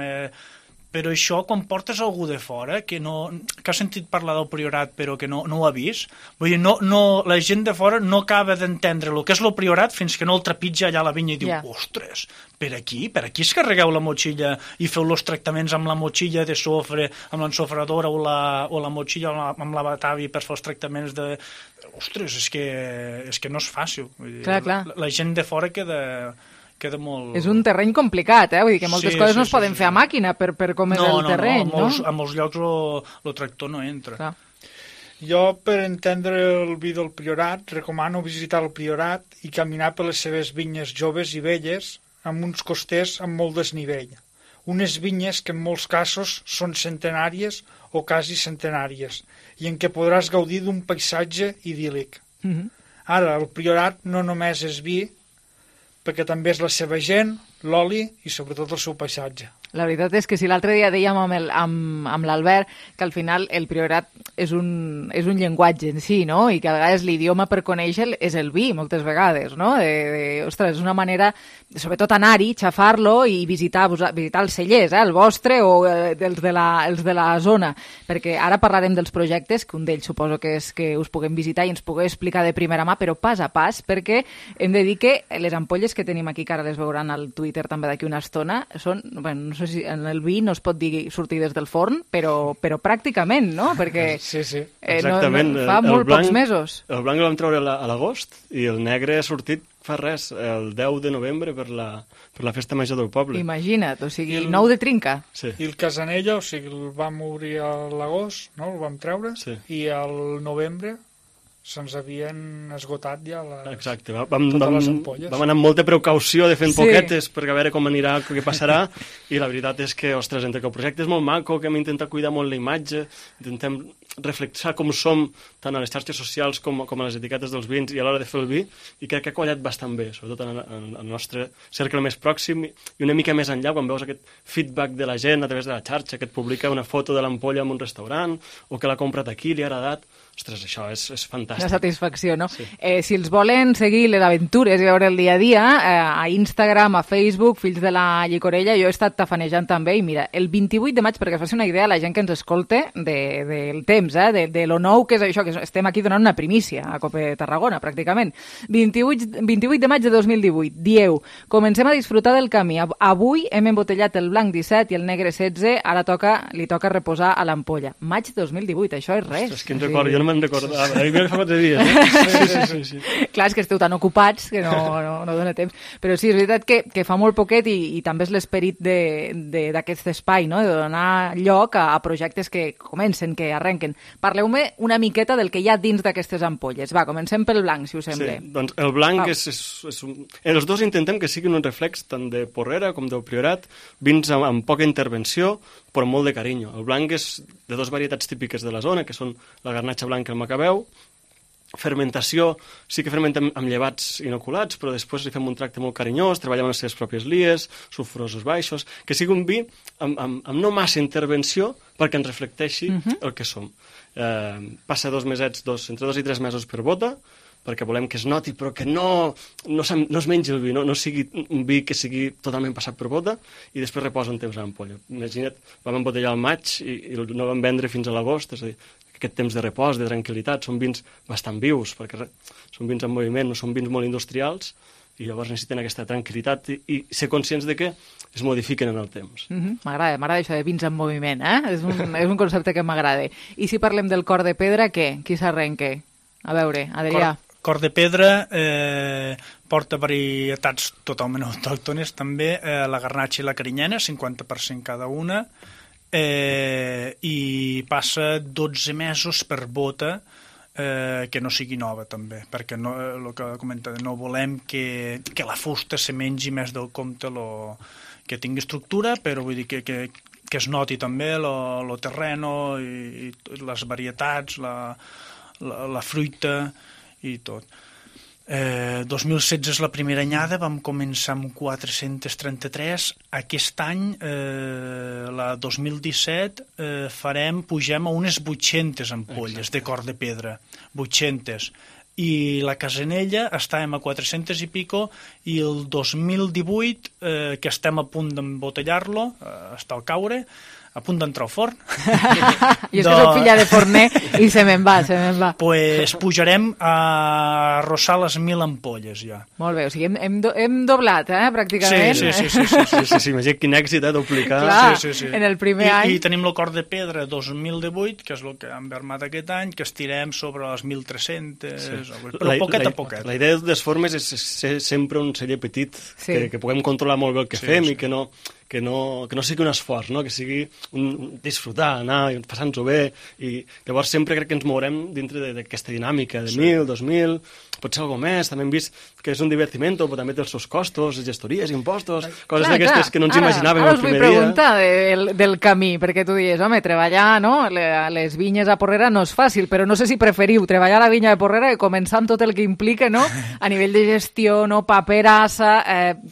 però això, quan portes algú de fora, que ha sentit parlar del Priorat però que no ho ha vist, vull dir, la gent de fora no acaba d'entendre el que és el Priorat fins que no el trepitja allà a la vinya i diu, ostres, per aquí es carregueu la motxilla i feu els tractaments amb la motxilla de sofre, amb l'ensofradora o la motxilla amb la batavi per fer els tractaments de... Ostres, és que no és fàcil. Vull dir, clar. La gent de fora queda molt... És un terreny complicat, vull dir que moltes coses no es poden fer a màquina per com és el terreny, no? A molts llocs el tractor no entra. Clar. Jo, per entendre el vi del Priorat, recomano visitar el Priorat i caminar per les seves vinyes joves i velles amb uns costers amb molt desnivell. Unes vinyes que en molts casos són centenàries o quasi centenàries i en què podràs gaudir d'un paisatge idíl·lic. Ara, el Priorat no només és vi, perquè també és la seva gent, l'oli i sobretot el seu paisatge. La veritat és que si l'altre dia dèiem amb l'Albert que al final el Priorat és un llenguatge en si, no? I que a vegades l'idioma per conèixer és el vi, moltes vegades, no? Ostres, és una manera, sobretot anar-hi, xafar-lo i visitar els cellers, el vostre o els de la zona, perquè ara parlarem dels projectes, que un d'ells suposo que és que us puguem visitar i ens pugueu explicar de primera mà, però pas a pas, perquè hem de dir que les ampolles que tenim aquí, que ara les veuran al Twitter també d'aquí una estona, són, bueno, no sé si en el vi no es pot dir sortides del forn, però pràcticament, no? Perquè sí. Exactament. Fa molt pocs mesos. El blanc el vam treure a l'agost i el negre ha sortit fa res, el 10 de novembre per la festa major del poble. Imagina't, o sigui, el 9 de trinca. Sí. I el Casanella, o sigui, el vam obrir a l'agost, no? El vam treure, i al novembre se'ns havien esgotat ja Exacte, totes les ampolles. Vam anar amb molta precaució de fent poquetes per veure com anirà, què passarà, i la veritat és que, ostres, entre que el projecte és molt maco, que hem intentat cuidar molt la imatge, intentem reflexar com som tant a les xarxes socials com a les etiquetes dels vins i a l'hora de fer el vi, i crec que ha quallat bastant bé, sobretot en el nostre cercle més pròxim i una mica més enllà, quan veus aquest feedback de la gent a través de la xarxa, que et publica una foto de l'ampolla en un restaurant o que l'ha comprat aquí, li ha agradat. Ostres, això és fantàstic. Una satisfacció, no? Sí. Si els volen seguir les aventures i veure el dia a dia, a Instagram, a Facebook, Fills de la Llicorella, jo he estat tafanejant també, i mira, el 28 de maig, perquè es faci una idea la gent que ens escolte del temps, de lo nou que és això, que estem aquí donant una primícia a Cope Tarragona, pràcticament. 28 de maig de 2018, dieu, comencem a disfrutar del camí. Avui hem embotellat el blanc 17 i el negre 16, ara li toca reposar a l'ampolla. Maig 2018, això és res. Ostres, quin record, jo no me'n recordava. A mi fa 4 dies. Sí. Clar, és que esteu tan ocupats que no dona temps. Però sí, és veritat que fa molt poquet i també és l'esperit d'aquest espai, no? De donar lloc a projectes que comencen, que arrenquen. Parleu-me una miqueta del que hi ha dins d'aquestes ampolles. Va, comencem pel blanc, si us sembla. Sí, doncs el blanc els dos intentem que siguin un reflex tant de Porrera com del Priorat, vins amb poca intervenció, però molt de carinyo. El blanc és de dues varietats típiques de la zona, que són la garnatxa blanca i el macabeu. Fermentació, sí que fermentem amb llevats inoculats, però després li fem un tracte molt carinyós, treballem amb les seves pròpies lies, sulfurosos baixos, que sigui un vi amb no massa intervenció perquè ens reflecteixi el que som. Passa 2 mesets, entre 2 i 3 mesos per bota, perquè volem que es noti, però que no es mengi el vi, no sigui un vi que sigui totalment passat per bota, i després reposa un temps a l'ampolla. Imagina't, vam embotellar al maig i no vam vendre fins a l'agost, és a dir, aquest temps de repòs, de tranquil·litat, són vins bastant vius, perquè són vins en moviment, no són vins molt industrials, i llavors necessiten aquesta tranquil·litat i ser conscients de que es modifiquen en el temps. M'agrada això de vins en moviment, és un concepte que m'agrada. I si parlem del cor de pedra, què? Qui s'arrenca? A veure, Adrià. Cor de pedra porta varietats totalment autòctones també, la garnatxa i la carinyena, 50% cada una, i passa 12 mesos per bota, que no sigui nova també, perquè el que comenta, no volem que la fusta se mengi més del compte, que tingui estructura, però vull dir que es noti també el terreno i les varietats, la fruita i tot. 2016 és la primera anyada, vam començar amb 433. Aquest any, la 2017, pugem a unes 800 ampolles de cor de pedra. 800. I la Casanella estàvem a 400 i pico, i el 2018, que estem a punt d'embotellar-lo, està al caure, a punt d'entrar al forn. Jo és que soc filla de forner i se me'n va. Pues pujarem a arrossar les 1.000 ampolles ja. Molt bé, o sigui, hem doblat, pràcticament. Sí, imagina quin èxit, duplicar. Clar, en el primer any. I tenim el cor de pedra 2018, que és el que hem vermat aquest any, que estirem sobre les 1.300, però poquet a poquet. La idea de les formes és ser sempre un celler petit, que puguem controlar molt bé el que fem i que no sigui un esforç, que sigui un disfrutar, anar passant-ho bé, i llavors sempre crec que ens mourem dintre d'aquesta dinàmica de 1.000, 2.000, potser alguna més. També hem vist que és un divertiment, però també té els seus costos, gestories, impostos, coses d'aquestes que no ens imaginàvem el primer dia. Ara us vull preguntar del camí, perquè tu dius, home, treballar les vinyes a Porrera no és fàcil, però no sé si preferiu treballar a la vinya de Porrera i començar amb tot el que implica, no? A nivell de gestió, paperassa,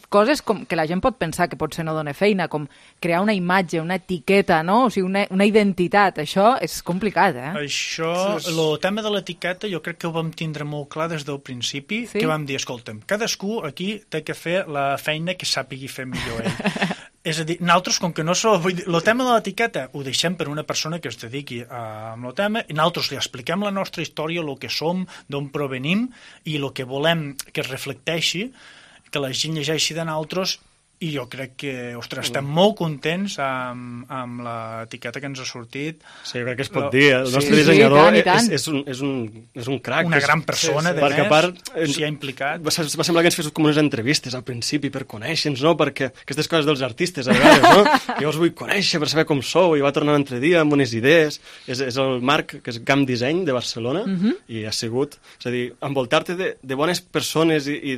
coses com que la gent pot pensar que potser no dona feina, com crear una imatge, una etiqueta, no? O sigui, una identitat. Això és complicat, Això, el tema de l'etiqueta, jo crec que ho vam tindre molt clar des del principi, que vam dir, escolta'm, cadascú aquí té que fer la feina que sàpigui fer millor ell. És a dir, nosaltres, com que no som... El tema de l'etiqueta ho deixem per una persona que es dediqui amb el tema, i nosaltres li expliquem la nostra història, el que som, d'on provenim, i el que volem que es reflecteixi, que la gent llegeixi de nosaltres. I jo crec que, ostres, estem molt contents amb l'etiqueta que ens ha sortit. Sí, crec que es pot dir. El nostre dissenyador és un crac. Una gran persona, de perquè, a part, s'hi ha implicat. Va semblar que ens fes com unes entrevistes al principi per conèixer-nos, perquè aquestes coses dels artistes, a vegades, jo us vull conèixer per saber com sou, i va tornar un altre dia amb unes idees. És el Marc, que és Camp Disseny de Barcelona, i ha sigut, és a dir, envoltar-te de bones persones i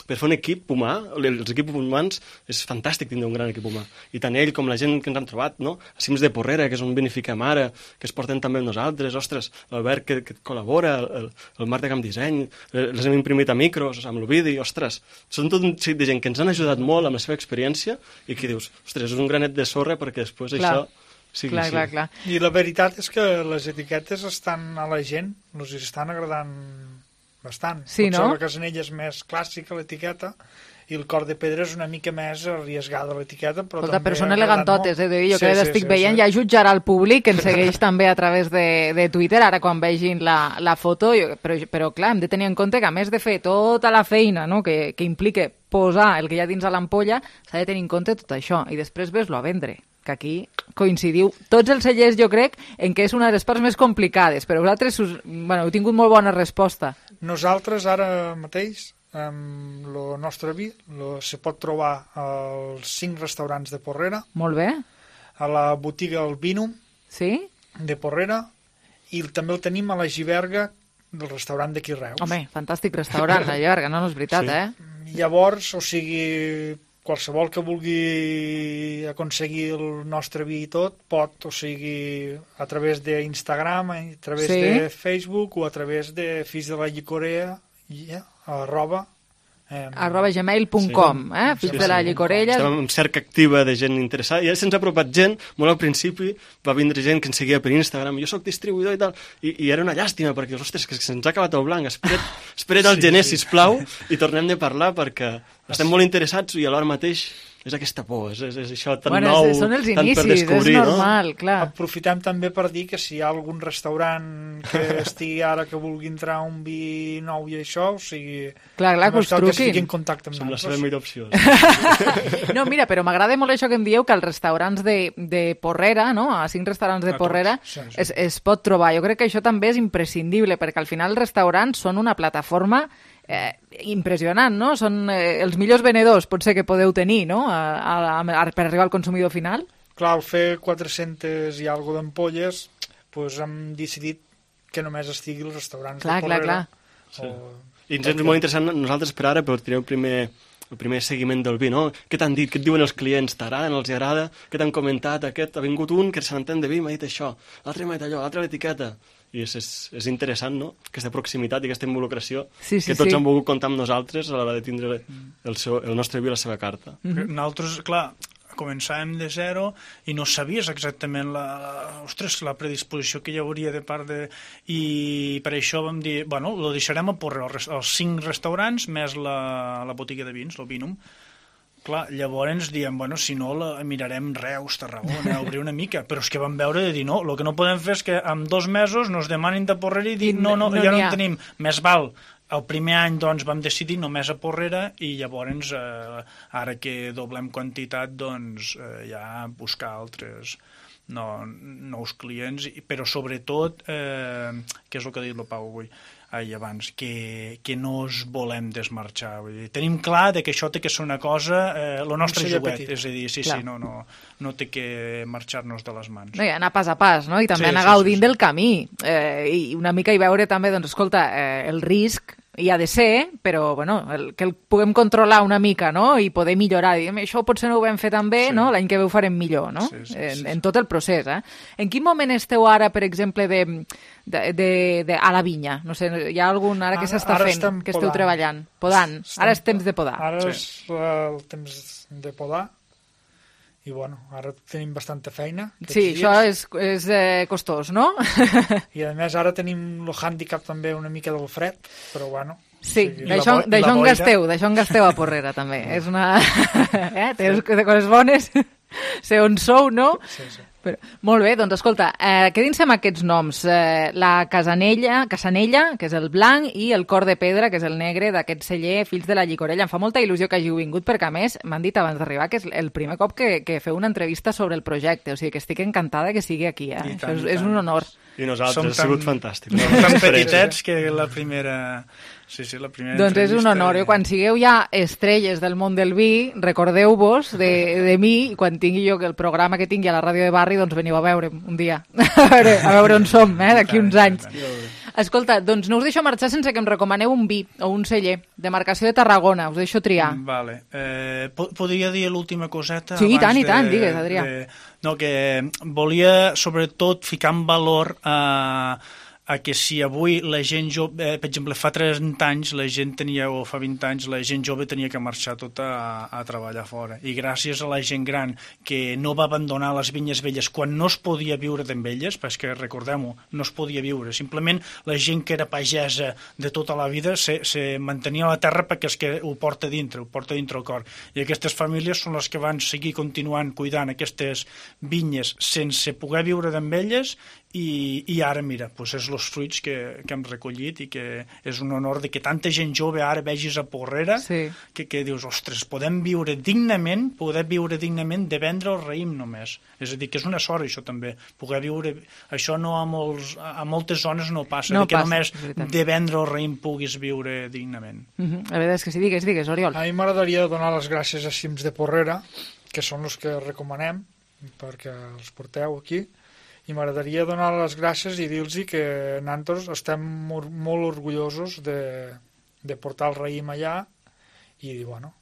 per fer un equip humà, els equips humans és fantàstic tindre un gran equip humà. I tant ell com la gent que ens han trobat, no? A Cims de Porrera, que és on vinifiquem ara, que es porten també amb nosaltres, ostres, l'Albert que col·labora, el Marc de Camp Disseny, les hem imprimit a micros, amb l'Ovidi, ostres, són tot un seguit de gent que ens han ajudat molt amb la seva experiència i que dius, ostres, és un granet de sorra perquè després això sigui així. Clar. I la veritat és que les etiquetes estan a la gent, els estan agradant bastant. Sí, potser no? la Casanella és més clàssica, l'etiqueta, i el Cor de Pedra és una mica més arriesgada l'etiqueta, però Escolta, també però són elegantotes, jo que estic veient, sí. ja jutjarà el públic, que ens segueix també a través de Twitter, ara quan vegin la foto, però clar, hem de tenir en compte que a més de fer tota la feina, no?, que implica posar el que hi ha dins a l'ampolla, s'ha de tenir en compte tot això, i després ves-lo a vendre, que aquí coincidiu tots els cellers, jo crec, en què és una de les parts més complicades, però vosaltres heu tingut molt bona resposta. Nosaltres ara mateix el nostre vi se pot trobar als 5 restaurants de Porrera. Molt bé. A la botiga El Vinum de Porrera, i també el tenim a la Giberga del restaurant d'aquí Reus. Home, fantàstic restaurant, la Giberga, no és veritat, Llavors, o sigui, qualsevol que vulgui aconseguir el nostre vi i tot, pot, o sigui, a través d'Instagram, a través de Facebook o a través de Fills de la Llicorella, arroba gmail.com, Fills de la Llicorella. Estem en cerca activa de gent interessada. Ja se'ns ha apropat gent, molt al principi va vindre gent que ens seguia per Instagram, jo soc distribuïdor i tal, i era una llàstima, perquè, ostres, que se'ns ha acabat el blanc, espera't al gener, sisplau, i tornem de parlar, perquè estem molt interessats i alhora mateix és aquesta por, és això tan nou, són els tant inicis, per descobrir, és normal, clar. Aprofitem també per dir que si hi ha algun restaurant que estigui ara que vulgui entrar un vi nou i això, o sigui... Clar, que us truquin. Que estigui en contacte amb nosaltres. Som la seva millor opció. No, mira, però m'agrada molt això que em dieu, que als restaurants de Porrera, no?, a 5 restaurants de Porrera, es pot trobar. Jo crec que això també és imprescindible, perquè al final els restaurants són una plataforma impressionant, no? Són els millors venedors, potser, que podeu tenir, no?, per arribar al consumidor final. Clar, al fer 400 i alguna d'ampolles, doncs hem decidit que només estigui als restaurants de Porrera. Sí. I ens és molt interessant, nosaltres per ara, per tenir el primer seguiment del vi, no? Què t'han dit? Què et diuen els clients? T'agrada, no els agrada? Què t'han comentat? Aquest ha vingut un que se n'entén de vi, m'ha dit això, l'altre m'ha dit allò, l'altre l'etiqueta. I és interessant, no?, aquesta proximitat i aquesta involucració que tots han volgut comptar amb nosaltres a l'hora de tindre el nostre vi a la seva carta. Nosaltres, clar, començàvem de zero i no sabies exactament la predisposició que hi hauria de part de... I per això vam dir, bueno, lo deixarem a Porrera, els 5 restaurants més la botiga de vins, el Vinum. Clar, llavors diem, bueno, si no mirarem Reus, Tarragona, obrir una mica, però és que vam veure de dir, no, el que no podem fer és que en 2 mesos nos demanin de Porrera i dir, no, ja no en tenim, més val. El primer any, doncs, vam decidir només a Porrera i llavors, ara que doblem quantitat, doncs, ja buscar altres nous clients, però sobretot, que és el que ha dit el Pau avui, abans, que no es volem desmarxar. Vull dir, tenim clar que això té que ser una cosa, el nostre joguet, és a dir, no té que marxar-nos de les mans. No, i anar pas a pas, no? I també anar gaudint del camí, i una mica hi veure també, doncs, escolta, el risc hi ha de ser, però bueno, que el puguem controlar una mica, no?, i poder millorar. Diguem, això potser no ho vam fer tan bé, no? L'any que ve ho farem millor, no? En tot el procés, En quin moment esteu ara, per exemple, a la vinya? No sé, hi ha algun ara que s'està fent, que esteu treballant? Podant. Ara és temps de podar. Ara és el temps de podar. I bueno, ara tenim bastanta feina. Sí, això és costós, no? I a més ara tenim el hàndicap també una mica del fred, però bueno... Sí, d'això en gasteu a Porrera també. És una... Té coses bones, sé on sou, no? Sí. Però, molt bé, doncs escolta, quedin-se amb aquests noms. La Casanella, que és el blanc, i el Cor de Pedra, que és el negre d'aquest celler Fills de la Llicorella. Em fa molta il·lusió que hàgiu vingut, perquè a més m'han dit abans d'arribar que és el primer cop que feu una entrevista sobre el projecte, o sigui que estic encantada que sigui aquí. Això és un honor. I nosaltres, ha sigut fantàstic. Som tan petitets que la primera... Sí, la primera doncs és un honor. Quan sigueu ja estrelles del món del vi, recordeu-vos de mi, i quan tingui jo el programa que tingui a la ràdio de barri, doncs veniu a veure'm un dia, a veure on som, d'aquí uns anys. Escolta, doncs no us deixo marxar sense que em recomaneu un vi o un celler de marcació de Tarragona. Us deixo triar. Vale. Podria dir l'última coseta? Sí, i tant, digues, Adrià. No, que volia, sobretot, ficar en valor a que si avui la gent jove, per exemple, fa 30 anys la gent tenia, o fa 20 anys, la gent jove tenia que marxar tota a treballar fora. I gràcies a la gent gran que no va abandonar les vinyes velles quan no es podia viure d'en elles, perquè recordem-ho, no es podia viure. Simplement la gent que era pagesa de tota la vida se mantenia a la terra perquè és que ho porta dintre el cor. I aquestes famílies són les que van seguir continuant cuidant aquestes vinyes sense poder viure d'en elles i ara, mira, doncs és els fruits que hem recollit i que és un honor de que tanta gent jove ara vegis a Porrera que dius, ostres, podem viure dignament de vendre el raïm només. És a dir, que és una sort això també, poder viure, això no a moltes zones no passa, que només de vendre el raïm puguis viure dignament. La veritat és que sí, digues, Oriol. A mi m'agradaria donar les gràcies a Cims de Porrera, que són els que recomanem perquè els porteu aquí, i m'agradaria donar les gràcies i dir-los que nosaltres estem molt orgullosos de portar el raïm allà i dir, bueno...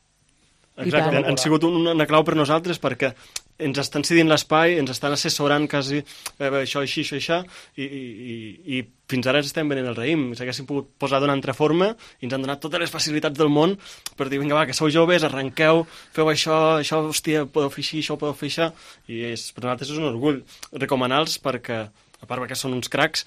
Exacte, han sigut una clau per nosaltres perquè ens estan cedint l'espai, ens estan assessorant quasi això, això, i fins ara estem venent el raïm. Si haguéssim pogut posar d'una altra forma i ens han donat totes les facilitats del món per dir, vinga, va, que sou joves, arrenqueu, feu això, hòstia, podeu fer així, això ho podeu fer això, i per nosaltres és un orgull recomanar-los perquè, a part que són uns cracs,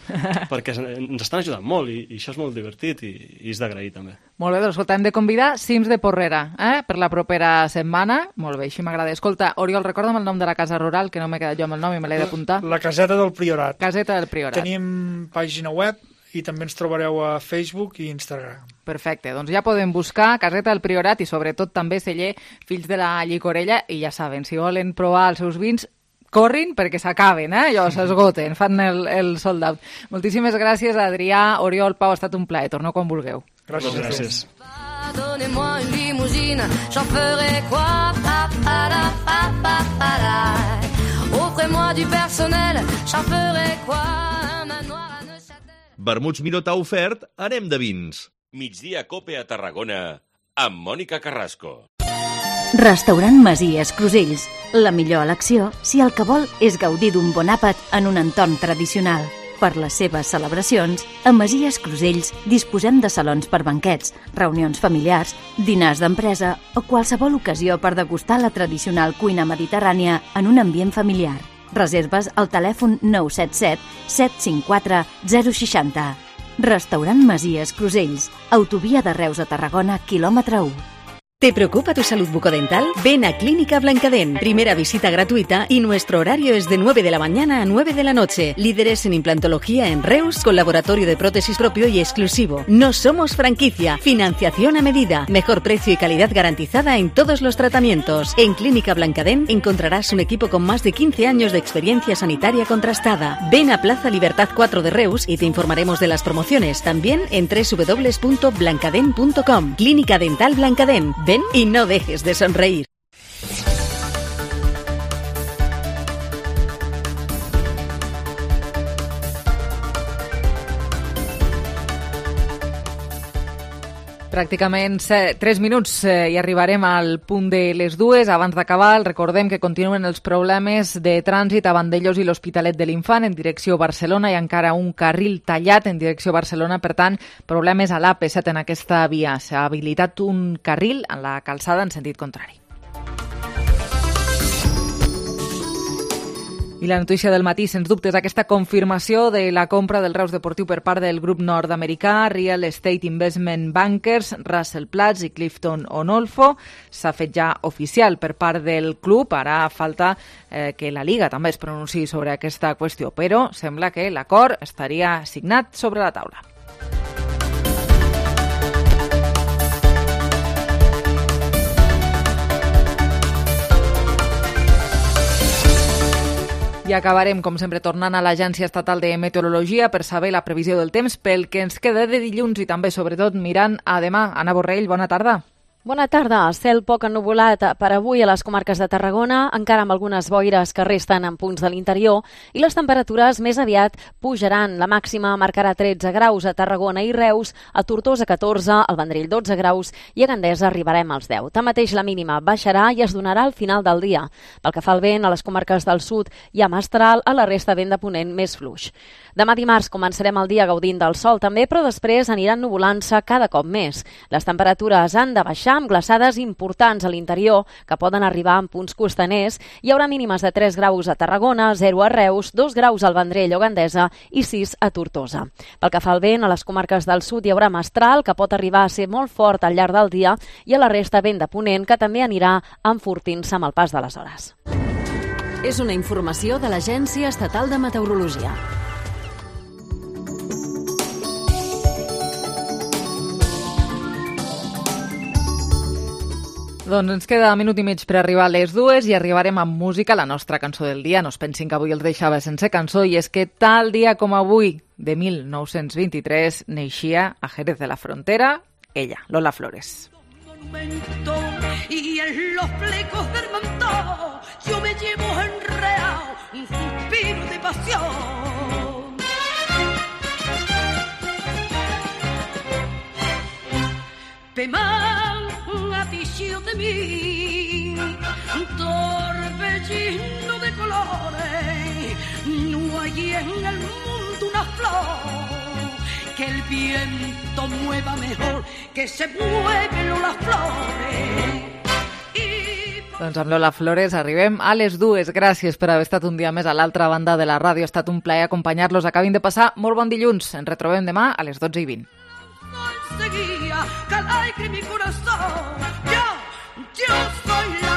perquè ens estan ajudant molt i això és molt divertit i és d'agrair també. Molt bé, doncs escolta, hem de convidar Cims de Porrera per la propera setmana. Molt bé, així m'agrada. Escolta, Oriol, recorda'm el nom de la casa rural, que no m'he quedat jo amb el nom i me l'he d'apuntar. La Caseta del Priorat. Caseta del Priorat. Tenim pàgina web i també ens trobareu a Facebook i Instagram. Perfecte, doncs ja podem buscar Caseta del Priorat i sobretot també celler Fills de la Llicorella i ja saben, si volen provar els seus vins, corrin perquè s'acaben, allò s'esgoten, fan el sold out. Moltíssimes gràcies, Adrià, Oriol, Pau, ha estat un plaer. Torneu quan vulgueu. Gràcies. Donnez-moi une limousine, j'en ferai quoi? Offrez-moi du personnel, j'en ferai quoi? Un manoir à Neuchâtel. Vermuts Miró t'ha ofert Anem de vins. Migdia Cope a Tarragona amb Mònica Carrasco. Restaurant Masies Crusells. La millor elecció si el que vol és gaudir d'un bon àpat en un entorn tradicional. Per les seves celebracions, a Masies Crusells disposem de salons per banquets, reunions familiars, dinars d'empresa o qualsevol ocasió per degustar la tradicional cuina mediterrània en un ambient familiar. Reserves al telèfon 977 754 060. Restaurant Masies Crusells, autovia de Reus a Tarragona, quilòmetre 1. ¿Te preocupa tu salud bucodental? Ven a Clínica Blancadent. Primera visita gratuita y nuestro horario es de 9 de la mañana a 9 de la noche. Líderes en implantología en Reus, con laboratorio de prótesis propio y exclusivo. No somos franquicia. Financiación a medida. Mejor precio y calidad garantizada en todos los tratamientos. En Clínica Blancadent encontrarás un equipo con más de 15 años de experiencia sanitaria contrastada. Ven a Plaza Libertad 4 de Reus y te informaremos de las promociones. También en www.blancadent.com. Clínica Dental Blancadent. Ven y no dejes de sonreír. Pràcticament 3 minuts i arribarem al punt de les 2. Abans d'acabar, recordem que continuen els problemes de trànsit a Vandellòs i l'Hospitalet de l'Infant en direcció Barcelona. Hi ha encara un carril tallat en direcció Barcelona, per tant, problemes a l'AP7 en aquesta via. S'ha habilitat un carril en la calçada en sentit contrari. I la notícia del matí, sens dubte, és aquesta confirmació de la compra del Reus Deportiu per part del grup nord-americà Real Estate Investment Bankers, Russell Platts i Clifton Onolfo. S'ha fet ja oficial per part del club. Ara falta que la Liga també es pronunciï sobre aquesta qüestió, però sembla que l'acord estaria signat sobre la taula. I acabarem, com sempre, tornant a l'Agència Estatal de Meteorologia per saber la previsió del temps pel que ens queda de dilluns i també, sobretot, mirant a demà. Anna Borrell, bona tarda. Bona tarda. Cel poc ennuvolat per avui a les comarques de Tarragona, encara amb algunes boires que resten en punts de l'interior, i les temperatures més aviat pujaran. La màxima marcarà 13 graus a Tarragona i Reus, a Tortosa 14, al Vendrell 12 graus i a Gandesa arribarem als 10. Tanmateix la mínima baixarà i es donarà al final del dia. Pel que fa al vent, a les comarques del sud hi ha mestral, a la resta vent de ponent més fluix. Demà dimarts començarem el dia gaudint del sol també, però després aniran nuvolant-se cada cop més. Les temperatures han de baixar amb glaçades importants a l'interior que poden arribar en punts costaners. Hi haurà mínimes de 3 graus a Tarragona, 0 a Reus, 2 graus al Vendrell o Gandesa i 6 a Tortosa. Pel que fa al vent, a les comarques del sud hi haurà mestral que pot arribar a ser molt fort al llarg del dia i a la resta vent de ponent que també anirà enfortint-se amb el pas de les hores. És una informació de l'Agència Estatal de Meteorologia. Doncs ens queda minut i mig per arribar a les 2 i arribarem amb música a la nostra cançó del dia. No es pensin que avui els deixava sense cançó, i és que tal dia com avui, de 1923, neixia a Jerez de la Frontera ella, Lola Flores. Y en los flecos del manto yo me llevo enredado un suspiro de pasión. Pematillo de mí, torbellino de colores, no hay en el mundo una flor que el viento mueva mejor que se mueven las flores. Doncs amb Lola Flores arribem a les 2. Gràcies per haver estat un dia més a l'altra banda de la ràdio. Ha estat un plaer acompanyar-los. Acabin de passar molt bon dilluns. Ens retrobem demà a les 12:20. Seguía, caray que mi corazón, yo soy